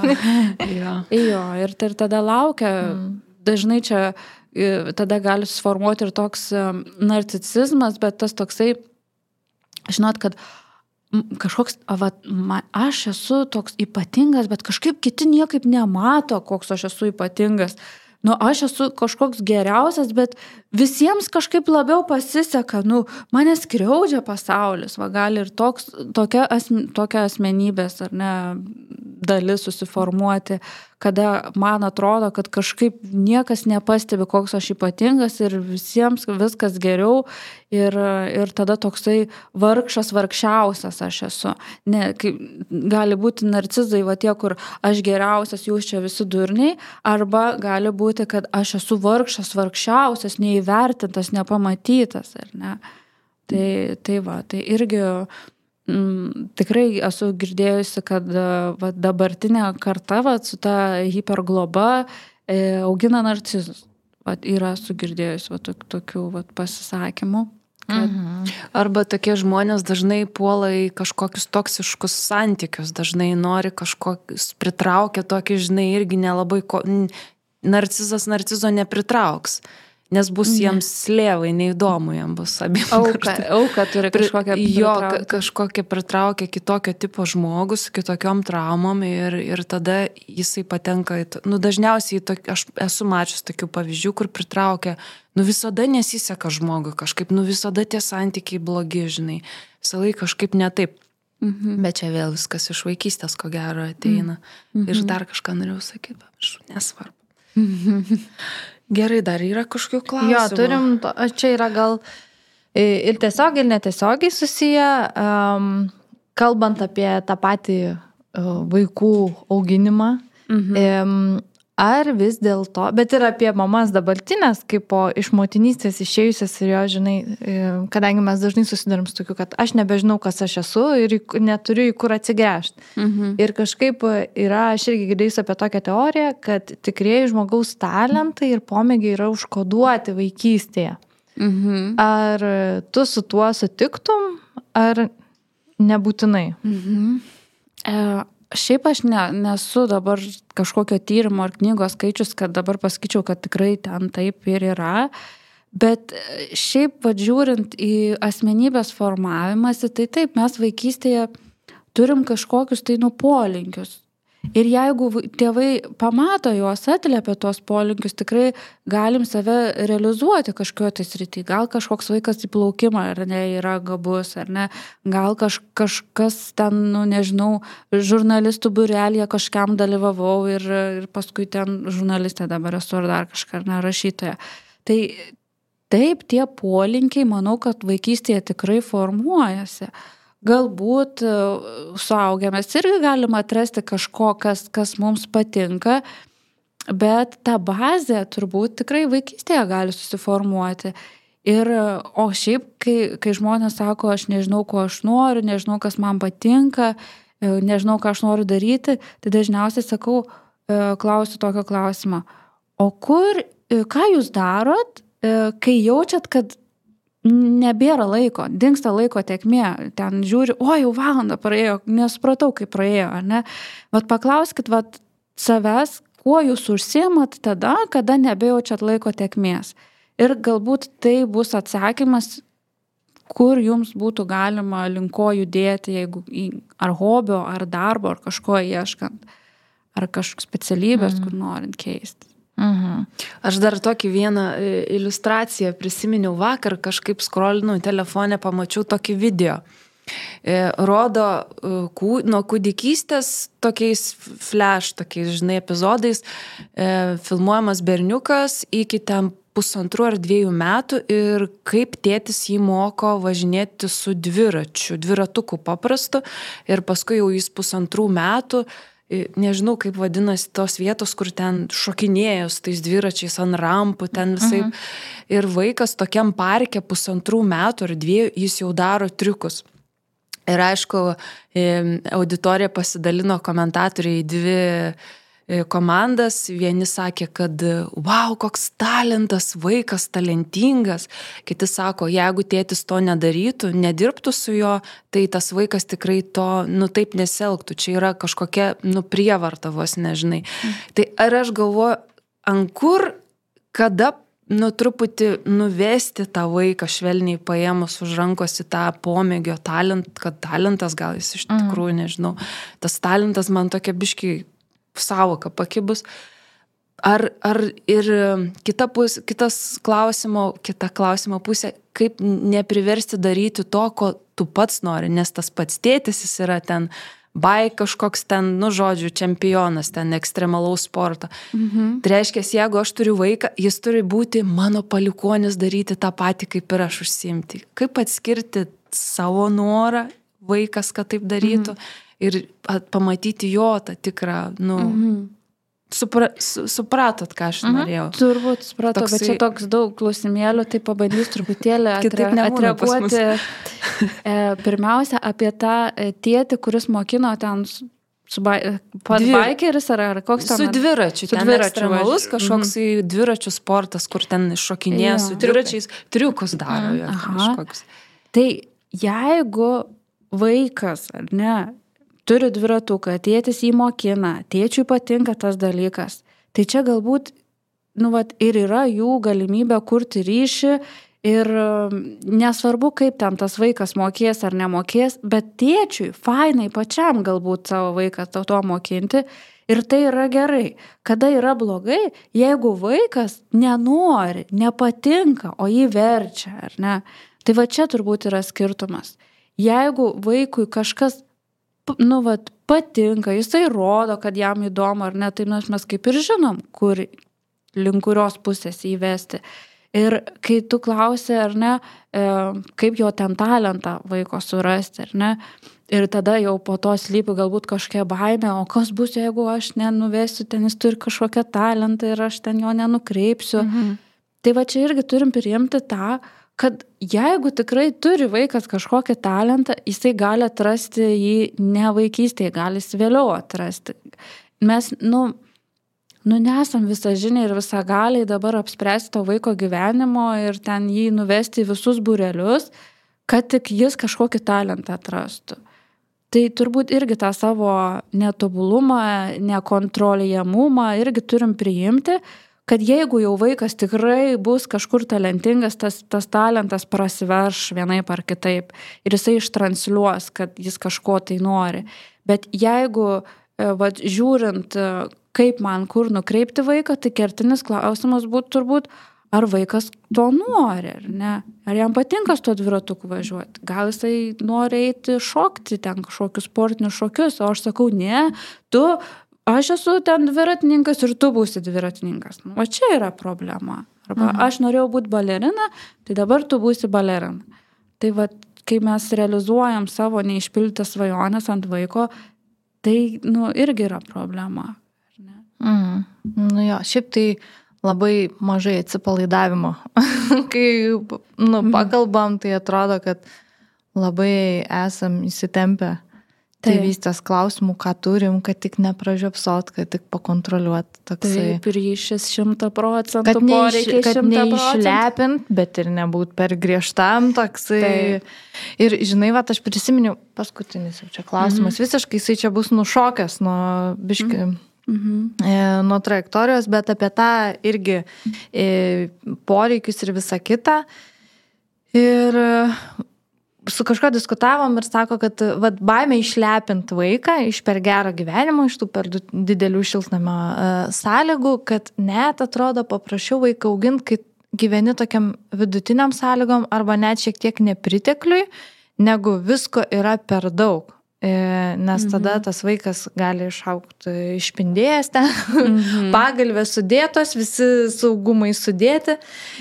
jo. jo ir, ir tada laukia, mm. dažnai čia tada gali suformuoti ir toks narcisizmas, bet tas toksai, žinot, kad kažkoks, va, ma, aš esu toks ypatingas, bet kažkaip kiti niekaip nemato, koks aš esu ypatingas. Nu, aš esu kažkoks geriausias, bet visiems kažkaip labiau pasiseka, nu, mane skriaudžia pasaulis, va, gali ir toks, tokia, asme, tokia asmenybės, ar ne, dalis susiformuoti, kada man atrodo, kad kažkaip niekas nepastebi, koks aš ypatingas ir visiems viskas geriau ir, ir tada toksai vargšas, vargšiausias aš esu. Ne, kaip, gali būti narcizai, va tie, kur aš geriausias, jūs čia visi durniai, arba gali būti, kad aš esu vargšas, vargšiausias, neįvertintas, nepamatytas, ar ne? Tai, tai va, tai irgi mm, tikrai esu girdėjusi, kad va, dabartinė karta va, su ta hipergloba e, augina narcizus. Va, yra sugirdėjusi va, tok, tokių va, pasisakymų. Kad... Mhm. Arba tokie žmonės dažnai puola į kažkokius toksiškus santykius, dažnai nori kažkokius, pritraukia tokį, žinai, irgi nelabai, ko... narcizas narcizo nepritrauks. Nes bus jiems slėvai, neįdomu jam bus abiem. Auka, auka turi kažkokią pritraukę. Jo, kažkokią pritraukia kitokio tipo žmogus, kitokiom traumom ir, ir tada jisai patenka, į, nu dažniausiai tok, aš esu mačius tokių pavyzdžių, kur pritraukia, nu visada nesiseka žmogui kažkaip, nu visada tie santykiai blogi, žinai, visą laiką kažkaip ne taip. Mhm. Bet čia vėl viskas iš vaikystės, ko gero, ateina. Mhm. Ir dar kažką norėjau sakyti, bet nesvarbu. Gerai, dar yra kažkokių klausimų. Jo, turim, to, čia yra gal ir tiesiog, ir netiesiogiai susiję, um, kalbant apie tą patį uh, vaikų auginimą. Mhm. Um, Ar vis dėlto, bet ir apie mamas dabartinės, kaip po iš motinystės išėjusias ir jo, žinai, kadangi mes dažnai susidarim su tokiu, kad aš nebežinau, kas aš esu ir neturiu į kur atsigręžti. Mhm. Ir kažkaip yra, aš irgi girdėjusi apie tokią teoriją, kad tikrieji žmogaus talentai ir pomėgiai yra užkoduoti vaikystėje. Mhm. Ar tu su tuo sutiktum, ar nebūtinai? Mhm. E... Šiaip aš ne, nesu dabar kažkokio tyrimo ar knygos skaičius, kad dabar pasakyčiau, kad tikrai ten taip ir yra, bet šiaip vadžiūrint į asmenybės formavimąsi, tai taip, mes vaikystėje turim kažkokius tai nupolinkius. Ir jeigu tėvai pamato juos, atliepia tuos polinkius, tikrai galim save realizuoti kažkokio tai srity. Gal kažkoks vaikas į plaukimą ar ne yra gabus, ar ne. Gal kaž, kažkas ten, nu, nežinau, žurnalistų būrelėje kažkam dalyvavau ir, ir paskui ten žurnalistė dabar esu ar dar kažką, ar ne, rašytoja. Tai taip, tie polinkiai, manau, kad vaikystėje tikrai formuojasi. Galbūt suaugę mes irgi galime atrasti kažko, kas, kas mums patinka, bet ta bazė turbūt tikrai vaikystėje gali susiformuoti. Ir, o šiaip, kai, kai žmonės sako, aš nežinau, ko aš noriu, nežinau, kas man patinka, nežinau, ką aš noriu daryti, tai dažniausiai sakau, klausiu tokio klausimo. O kur, ką jūs darot, kai jaučiat, kad nebėra laiko, dingsta laiko tėkmė, ten žiūri, o jau valandą praėjo, nesupratau, kaip praėjo, ar ne? Vat paklauskit vat savęs, kuo jūs užsiimat tada, kada nebejaučiat laiko tėkmės. Ir galbūt tai bus atsakymas, kur jums būtų galima linko judėti, jeigu ar hobio, ar darbo, ar kažko ieškant, ar kažkokios specialybės, mm. kur norint keisti. Mhm. Aš dar tokį vieną iliustraciją prisiminiau vakar, kažkaip scrollinau telefone, pamačiau tokį video. Rodo nuo kūdikystės tokiais flash, tokiais, žinai, epizodais, filmuojamas berniukas iki ten pusantrų ar dviejų metų ir kaip tėtis jį moko važinėti su dviračiu, dviratuku paprastu ir paskui jau jis pusantrų metų, nežinau, kaip vadinasi tos vietos, kur ten šokinėjo su tais dviračiais ant rampų, ten visai. Mhm. Ir vaikas tokiam parke pusantrų metų ar dviejų, jis jau daro triukus. Ir aišku, auditorija pasidalino komentatoriai į dvi komandas. Vieni sakė, kad wow, koks talentas, vaikas talentingas. Kiti sako, jeigu tėtis to nedarytų, nedirbtų su jo, tai tas vaikas tikrai to, nu, taip nesielgtų. Čia yra kažkokia, nu, prievarta vos, nežinai. Mm. Tai ar aš galvoju, ant kur, kada, nu, truputį nuvesti tą vaiką švelniai paėmus už rankos į tą pomėgio talent, kad talentas gal jis iš tikrųjų, nežinau. Tas talentas man tokia biški savoka pakibus. Ar, ar ir kita pus, kitas klausimo, kita klausimo pusė, kaip nepriversti daryti to, ko tu pats nori, nes tas pats tėtis jis yra ten bai kažkoks ten, nu, žodžiu, čempionas, ten ekstremalaus sporto. Mhm. Tai reiškia, jeigu aš turiu vaiką, jis turi būti mano palikuonis daryti tą patį, kaip ir aš užsiimti. Kaip atskirti savo norą, vaikas, kad taip darytų, mhm. ir pamatyti jo tą tikrą, nu, mhm. supra, su, supratot, ką aš mhm. norėjau. Turbūt supratau, toksai... bet čia toks daug klausimėlių, tai pabandys truputėlį atre, atreaguoti. E, pirmiausia, apie tą tėtį, kuris mokino ten su ba... baikeris ar, ar koks ten? Su dviračiu, su ten dviračiu ekstremalus kažkoks mhm. dviračių sportas, kur ten šokinėja ja. Su dviračiais, triukus daro jo kažkoks. Tai jeigu vaikas, ar ne, turi dviratuką, tėtis jį mokina, tėčiui patinka tas dalykas, tai čia galbūt, nu, vat, ir yra jų galimybė kurti ryšį ir nesvarbu, kaip ten tas vaikas mokės ar nemokės, bet tėčiui fainai pačiam galbūt savo vaiką to mokinti ir tai yra gerai. Kada yra blogai, jeigu vaikas nenori, nepatinka, o jį verčia, ar ne? Tai va čia turbūt yra skirtumas. Jeigu vaikui kažkas, nu, vat, patinka, jisai rodo, kad jam įdomu ar ne, tai mes kaip ir žinom, kur link kurios pusės įvesti. Ir kai tu klausi, ar ne, kaip jo ten talentą vaiko surasti, ar ne, ir tada jau po to slypi galbūt kažkokia baimė, o kas bus, jeigu aš nenuvesiu, ten jis turi kažkokią talentą ir aš ten jo nenukreipsiu. Mhm. Tai va čia irgi turim priimti tą, kad jeigu tikrai turi vaikas kažkokį talentą, jisai gali atrasti jį ne vaikystėje, gali jis vėliau atrasti. Mes, nu, nu nesam visažiniai ir visagaliai dabar apspręsti to vaiko gyvenimo ir ten jį nuvesti į visus būrelius, kad tik jis kažkokį talentą atrastų. Tai turbūt irgi tą savo netobulumą, nekontrolijamumą irgi turim priimti, kad jeigu jau vaikas tikrai bus kažkur talentingas, tas, tas talentas prasiverš vienaip ar kitaip ir jisai ištransliuos, kad jis kažko tai nori. Bet jeigu, va, žiūrint, kaip man kur nukreipti vaiką, tai kertinis klausimas būtų turbūt, ar vaikas to nori, ar ne? Ar jam patinka su to dviratuku važiuoti? Gal jisai nori eiti šokti ten kažkokius sportinius šokius, o aš sakau, ne, tu, aš esu ten dviratininkas ir tu būsi dviratininkas. O čia yra problema. Arba mhm. aš norėjau būti balerina, tai dabar tu būsi balerina. Tai va, kai mes realizuojam savo neišpildytas svajonės ant vaiko, tai, nu, irgi yra problema. Mm. Nu jo, šiaip tai labai mažai atsipalaidavimo. Kai nu, pakalbam, tai atrodo, kad labai esam įsitempę tėvystės klausimų, ką turim, kad tik nepražiopsot, kad tik pakontroliuot. Toksai. Taip, ryšis šimta procentų, kad poreikiai kad neišlepint, bet ir nebūt per griežtam toksai. Taip. Ir žinai, va, aš prisiminiau, paskutinis jau čia klausimas, mm-hmm. visiškai jisai čia bus nušokęs nuo biški... Mm-hmm. Mhm. nuo trajektorijos, bet apie tą irgi poreikius ir visą kitą. Ir su kažko diskutavom ir sako, kad vat, baimė išlepint vaiką iš per gerą gyvenimą, iš tų per didelių šiltnamio sąlygų, kad net atrodo paprašiau vaiką auginti, kai gyveni tokiam vidutiniam sąlygom arba net šiek tiek nepritekliui, negu visko yra per daug. Nes tada tas vaikas gali išaugti išpindėjęs ten, mhm. pagalvės sudėtos, visi saugumai sudėti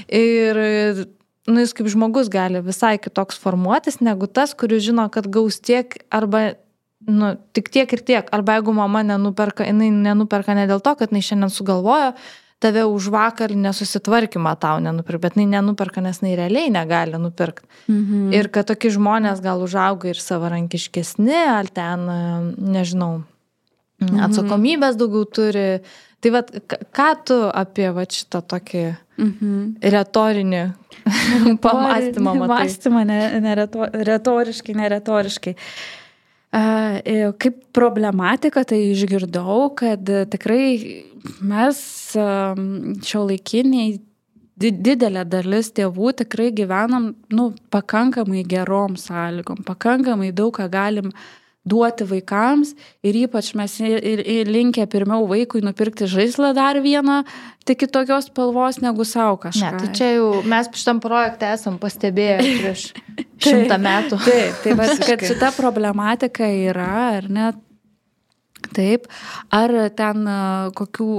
ir nu, jis kaip žmogus gali visai kitoks formuotis negu tas, kuris žino, kad gaus tiek arba nu, tik tiek ir tiek, arba jeigu mama nenuperka, jinai nenuperka ne dėl to, kad jinai šiandien sugalvojo, tave už vakar nesusitvarkymą tau nenupirka, bet jinai nenuperka, nes jinai realiai negali nupirkti. Mhm. Ir kad tokie žmonės gal užauga ir savarankiškesni, ar ten, nežinau, mhm. atsakomybės daugiau turi. Tai vat, ką tu apie vat, šitą tokį mhm. retorinį pamastymą matai? Mąstymą, ne, ne reto, retoriškai, neretoriškai. Kaip problematika, tai išgirdau, kad tikrai mes šiuolaikiniai didelė dalis tėvų tikrai gyvenam nu, pakankamai gerom sąlygom, pakankamai daug ką galim duoti vaikams ir ypač mes ir, ir linkę pirmiau vaikui nupirkti žaislą dar vieną, tik kitokios spalvos negu savo kažką. Ne, tai čia jau mes šitam projekte esam pastebėję prieš šimtą metų. Taip, taip, kad šita problematika yra, ar ne? Taip, ar ten kokių,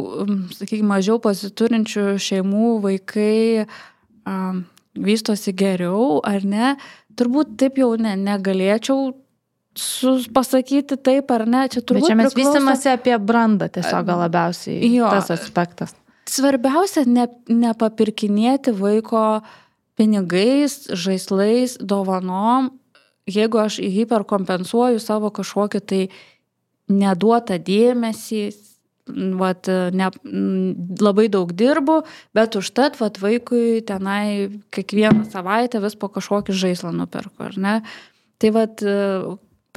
sakykime, mažiau pasiturinčių šeimų vaikai um, vystosi geriau, ar ne? Turbūt taip jau ne, negalėčiau pasakyti taip ar ne, čia turbūt bet čia mes priklauso... vystimasi apie brandą tiesiog gal labiausiai jo, tas aspektas. Svarbiausia ne, nepapirkinėti vaiko pinigais, žaislais, dovanom, jeigu aš hiperkompensuoju savo kažkokį tai neduotą dėmesį, vat, ne, labai daug dirbu, bet užtat vat, vaikui tenai kiekvieną savaitę vis po kažkokį žaislą nuperku, ar ne? Tai vat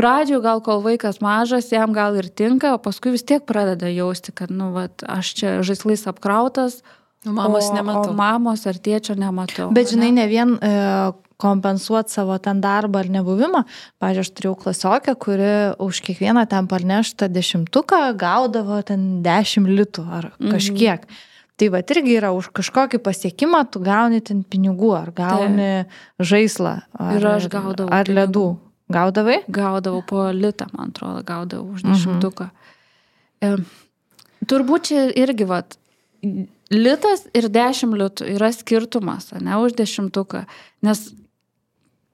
pradžių gal kol vaikas mažas, jam gal ir tinka, o paskui vis tiek pradeda jausti, kad nu, vat, aš čia žaislais apkrautas, o mamos o, nematau. O mamos ar tėčio nematau. Bet žinai, ne vien e, kompensuoti savo ten darbą ar nebuvimą. Pavyzdžiui, aš turėjau klasiokę, kuri už kiekvieną ten parneštą dešimtuką gaudavo ten dešimt litų ar kažkiek. Mhm. Tai va, irgi yra už kažkokį pasiekimą, tu gauni ten pinigų, ar gauni tai. Žaislą, ar, ir aš gaudavau ar ledų. Gaudavai? Gaudavau po litą, man atrodo, gaudavau už dešimtuką. Mhm. E, turbūt čia irgi, vat, litas ir dešimt litų yra skirtumas, ne, už dešimtuką. Nes,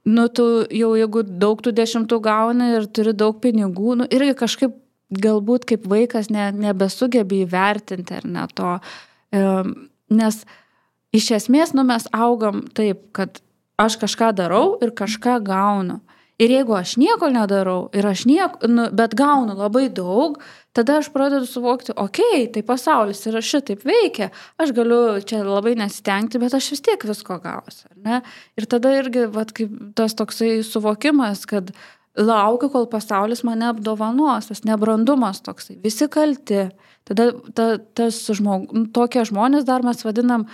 nu, tu jau jeigu daug tų dešimtų gauni ir turi daug pinigų, nu, irgi kažkaip galbūt kaip vaikas ne, nebesugebi įvertinti ar ne to. Nes iš esmės, nu, mes augam taip, kad aš kažką darau ir kažką gaunu. Ir jeigu aš nieko nedarau, ir aš nieko, nu, bet gaunu labai daug, tada aš pradedu suvokti, okei, okay, tai pasaulis yra šitaip veikia, aš galiu čia labai nesistengti, bet aš vis tiek visko gausiu, ne? Ir tada irgi, vat, kaip tas toksai suvokimas, kad laukiu, kol pasaulis mane apdovanos, tas nebrandumas toksai, visi kalti. Tada ta, tas žmog, tokie žmonės dar mes vadinam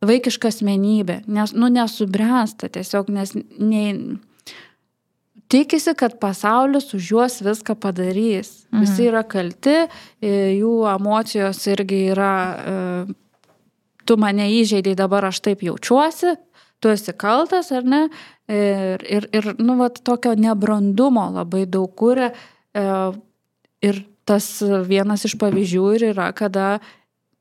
vaikišką asmenybę, nes, nu, nesubręsta tiesiog, nes nei... Tikisi, kad pasaulis už juos viską padarys. Mhm. Visi yra kalti, jų emocijos irgi yra, tu mane įžeidai, dabar aš taip jaučiuosi, tu esi kaltas, ar ne? Ir, ir, ir nu, vat, tokio nebrandumo labai daug kuria. Ir tas vienas iš pavyzdžių ir yra, kada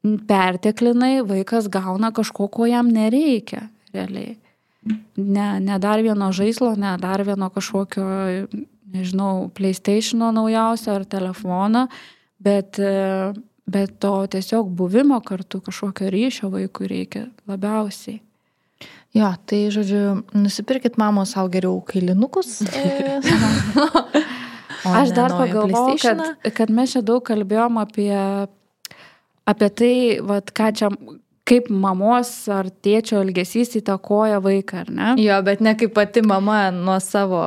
perteklinai vaikas gauna kažko, ko jam nereikia realiai. Ne, ne dar vieno žaislo, ne dar vieno kažkokio, nežinau, PlayStation'o naujausio ar telefono, bet, bet to tiesiog buvimo kartu, kažkokio ryšio vaikui reikia labiausiai. Jo, tai žodžiu, nusipirkit mamos savo geriau kailinukus. Aš dar pagalvojau, kad, kad mes čia daug kalbėjom apie, apie tai, vat, ką čia... kaip mamos ar tėčio elgesys įtakoja vaiką, ar ne? Jo, bet ne kaip pati mama nuo savo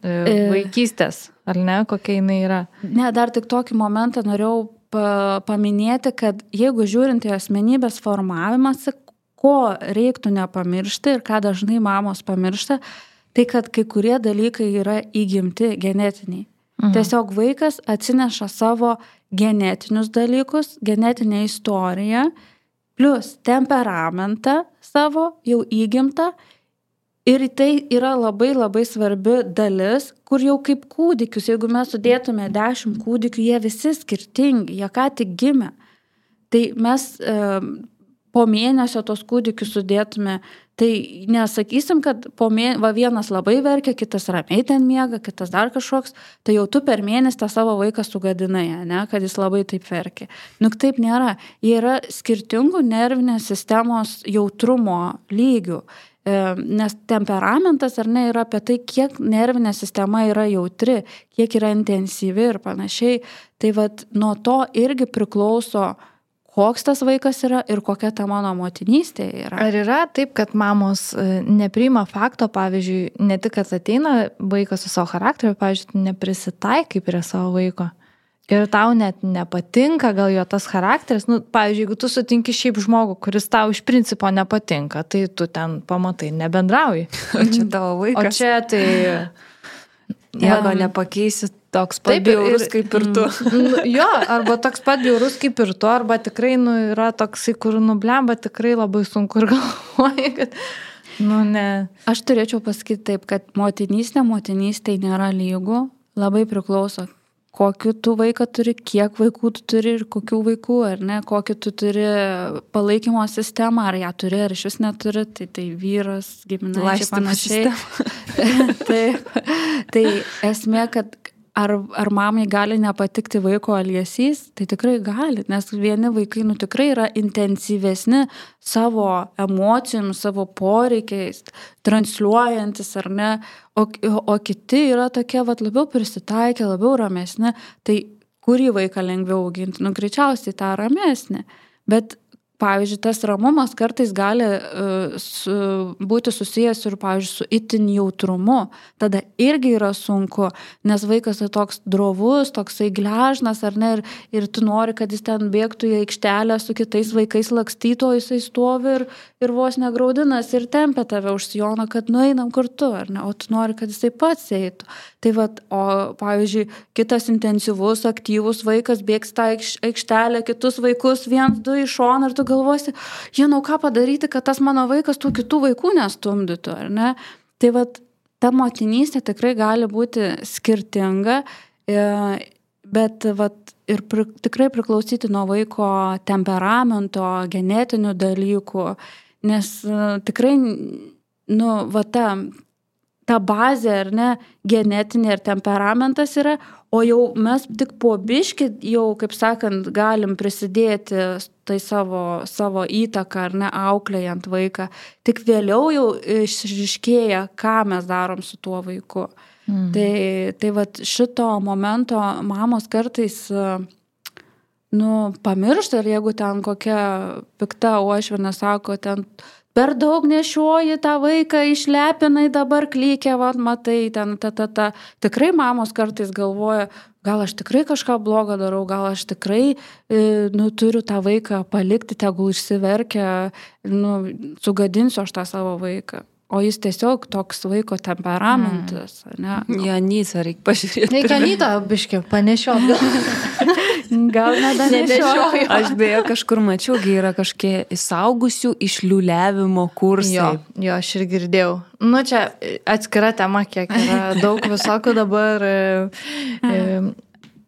e, vaikystės, ar ne, kokia jinai yra. Ne, dar tik tokį momentą norėjau pa, paminėti, kad jeigu žiūrint į asmenybės formavimąsi, ko reiktų nepamiršti ir ką dažnai mamos pamiršta, tai kad kai kurie dalykai yra įgimti genetiniai. Mhm. Tiesiog vaikas atsineša savo genetinius dalykus, genetinę istoriją, plus temperamentą savo jau įgimtą ir tai yra labai labai svarbi dalis, kur jau kaip kūdikius, jeigu mes sudėtume dešimt kūdikių, jie visi skirtingi, jie ką tik gimė. Tai mes e, po mėnesio tos kūdikius sudėtume, tai nesakysim, kad po mėnesio, va, vienas labai verkia, kitas ramiai ten miega, kitas dar kažkoks, tai jau tu per mėnesį tą savo vaiką sugadinai, ne, kad jis labai taip verkia. Nu, taip nėra. Jie yra skirtingų nervinės sistemos jautrumo lygių, e, nes temperamentas ar ne yra apie tai, kiek nervinė sistema yra jautri, kiek yra intensyvi ir panašiai. Tai vat, nuo to irgi priklauso, koks tas vaikas yra ir kokia ta mano motinystė yra. Ar yra taip, kad mamos nepriima fakto, pavyzdžiui, ne tik, kad ateina vaikas su savo charakteriu, pavyzdžiui, neprisitaikai prie savo vaiko ir tau net nepatinka gal jo tas charakteris, nu, pavyzdžiui, jeigu tu sutinki šiaip žmogų, kuris tau iš principo nepatinka, tai tu ten pamatai, nebendrauji. O čia tavo vaikas. O čia tai... Nieko nepakeisi, toks pat bjaurus kaip ir tu. Jo, arba toks pat bjaurus kaip ir tu, arba tikrai nu, yra toksai, kur nublemba, tikrai labai sunku ir galvoji, kad, nu, ne. Aš turėčiau pasakyti taip, kad motinystė, motinystė nėra lygų, labai priklauso, kokiu tu vaiką turi, kiek vaikų tu turi ir kokių vaikų, ar ne, kokį tu turi palaikymo sistemą, ar ją turi, ar iš vis neturi, tai tai vyras, giminaičiai panašiai. tai, tai esmė, kad ar, ar mamai gali nepatikti vaiko elgesys, tai tikrai gali, nes vieni vaikai nu, tikrai yra intensyvesni savo emocijom, savo poreikiais, transliuojantis ar ne, o, o kiti yra tokie vat, labiau prisitaikę, labiau ramesni, tai kurį vaiką lengviau auginti, nu greičiausiai tą ramesnį, bet pavyzdžiui, tas ramumas kartais gali uh, su, būti susijęs ir, pavyzdžiui, su itin jautrumu. Tada irgi yra sunku, nes vaikas yra toks drovus, toksai gležnas, ar ne, ir, ir tu nori, kad jis ten bėgtų į aikštelę su kitais vaikais lakstyto, jisai stovi ir, ir vos negraudinas ir tempia tave už sijono, kad nueinam kartu, ar ne, o tu nori, kad jisai pats eitų. Tai vat, o, pavyzdžiui, kitas intensyvus, aktyvus vaikas bėgs tą aikštelę, kitus vaikus, viens, du iš šono, ir tu galvosi, žinau, ką padaryti, kad tas mano vaikas tų kitų vaikų nestumdytų, ar ne? Tai vat, ta motinystė tikrai gali būti skirtinga, bet vat, ir pri, tikrai priklausyti nuo vaiko temperamento, genetinių dalykų, nes tikrai, nu, va ta, ta bazė, ar ne, genetinė ir temperamentas yra, o jau mes tik po biškį jau, kaip sakant, galim prisidėti tai savo, savo įtaką, ar ne, auklėjant vaiką. Tik vėliau jau išryškėja, ką mes darom su tuo vaiku. Mm. Tai, tai vat šito momento mamos kartais, nu, pamiršta, ir jeigu ten kokia pikta uošvienė sako, ten per daug nešioji tą vaiką, išlepinai dabar klykia, vat, matai, ten, ta, ta, ta. Tikrai mamos kartais galvoja, gal aš tikrai kažką blogo darau, gal aš tikrai, e, nu, turiu tą vaiką palikti, tegul išsiverkia, nu, sugadinsiu aš tą savo vaiką. O jis tiesiog toks vaiko temperamentas, mm. ne? Janytą reikia pažiūrėti. Reikia Janytą, biškiu, panešiot gal. Gal nedanešioju. Aš beje kažkur mačiau, yra kažkie įsaugusių išliuliavimo kursai. Jo, jo, aš ir girdėjau. Nu, čia atskira tema, kiek yra daug visokių dabar. E, e,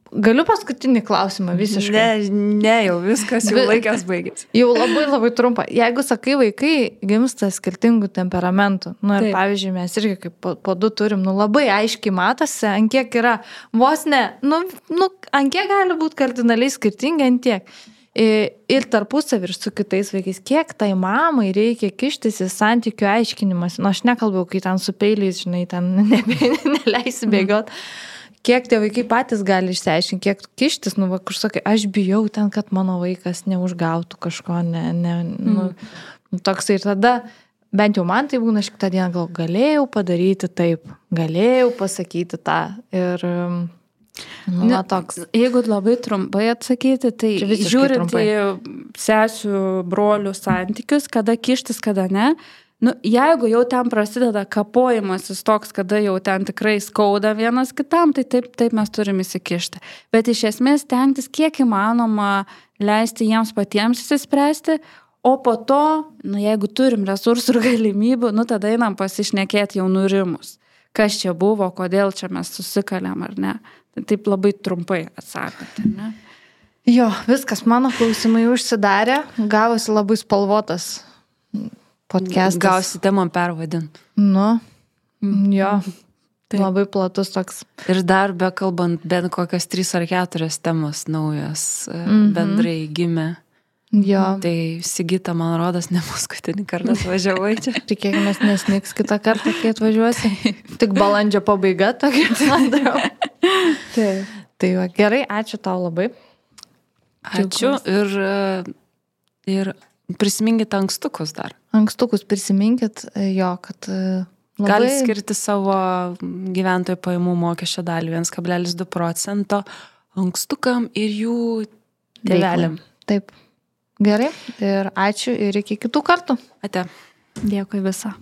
Galiu paskutinį klausimą visiškai. Ne, ne, jau viskas, jau laikas baigėsi. Jau labai labai trumpa. Jeigu sakai, vaikai gimsta skirtingų temperamentų, nu ir taip. Pavyzdžiui, mes irgi kaip po, po du turim, nu labai aiškiai matosi, ant kiek yra, vos ne, nu, nu ant kiek gali būti kardinaliai skirtingi, ant tiek. Ir tarpusavį ir su kitais vaikais, kiek tai mamai reikia kištis į santykių aiškinimas. Nu, aš nekalbėjau, kai ten su peiliais, žinai, ten ne, neleisi bėgiot. Kiek tie vaikai patys gali išsiaiškinti, kiek kištis, nu, va, kur sakai, aš bijau ten, kad mano vaikas neužgautų kažko, ne, ne, nu, mm. toks ir tada, bent jau man tai būna, aš kitą dieną gal galėjau padaryti taip, galėjau pasakyti tą ir, nu, va, toks. Jeigu labai trumpai atsakyti, tai žiūrint į sesių, brolių santykius, kada kištis, kada ne, nu, jeigu jau ten prasideda kapojimasis toks, kada jau ten tikrai skauda vienas kitam, tai taip, taip mes turim įsikišti. Bet iš esmės stengtis kiek įmanoma leisti jiems patiems įsispręsti, o po to, nu, jeigu turim resursų ir galimybių, nu, tada einam pasišnekėti jau nurimus. Kas čia buvo, kodėl čia mes susikalėm ar ne. Tai taip labai trumpai atsakant, ne? Jo, viskas, mano klausimai užsidarė, gavosi labai spalvotas podcastas. Gausi temą pervadint. Nu, jo, tai labai platus toks. Ir dar be kalbant, bent kokias trys ar keturias temos naujas mm-hmm. bendrai gimė. Jo. Tai Sigita, man rodos, ne paskutinį kartą atvažiavai čia. Tikėkime, nesniks kitą kartą, kai atvažiuosi. Tik balandžio pabaiga tokia. Tai, tai va, gerai, ačiū tau labai. Ačiū ir, ir prisiminkit ankstukus dar. Ankstukus prisiminkit, jo, kad labai... Gali skirti savo gyventojų pajamų mokesčio dalį vienas kablelis du procento ankstukam ir jų tėveliam. Taip. Gerai. Ir ačiū ir iki kitų kartų. Ate. Dėkui visą.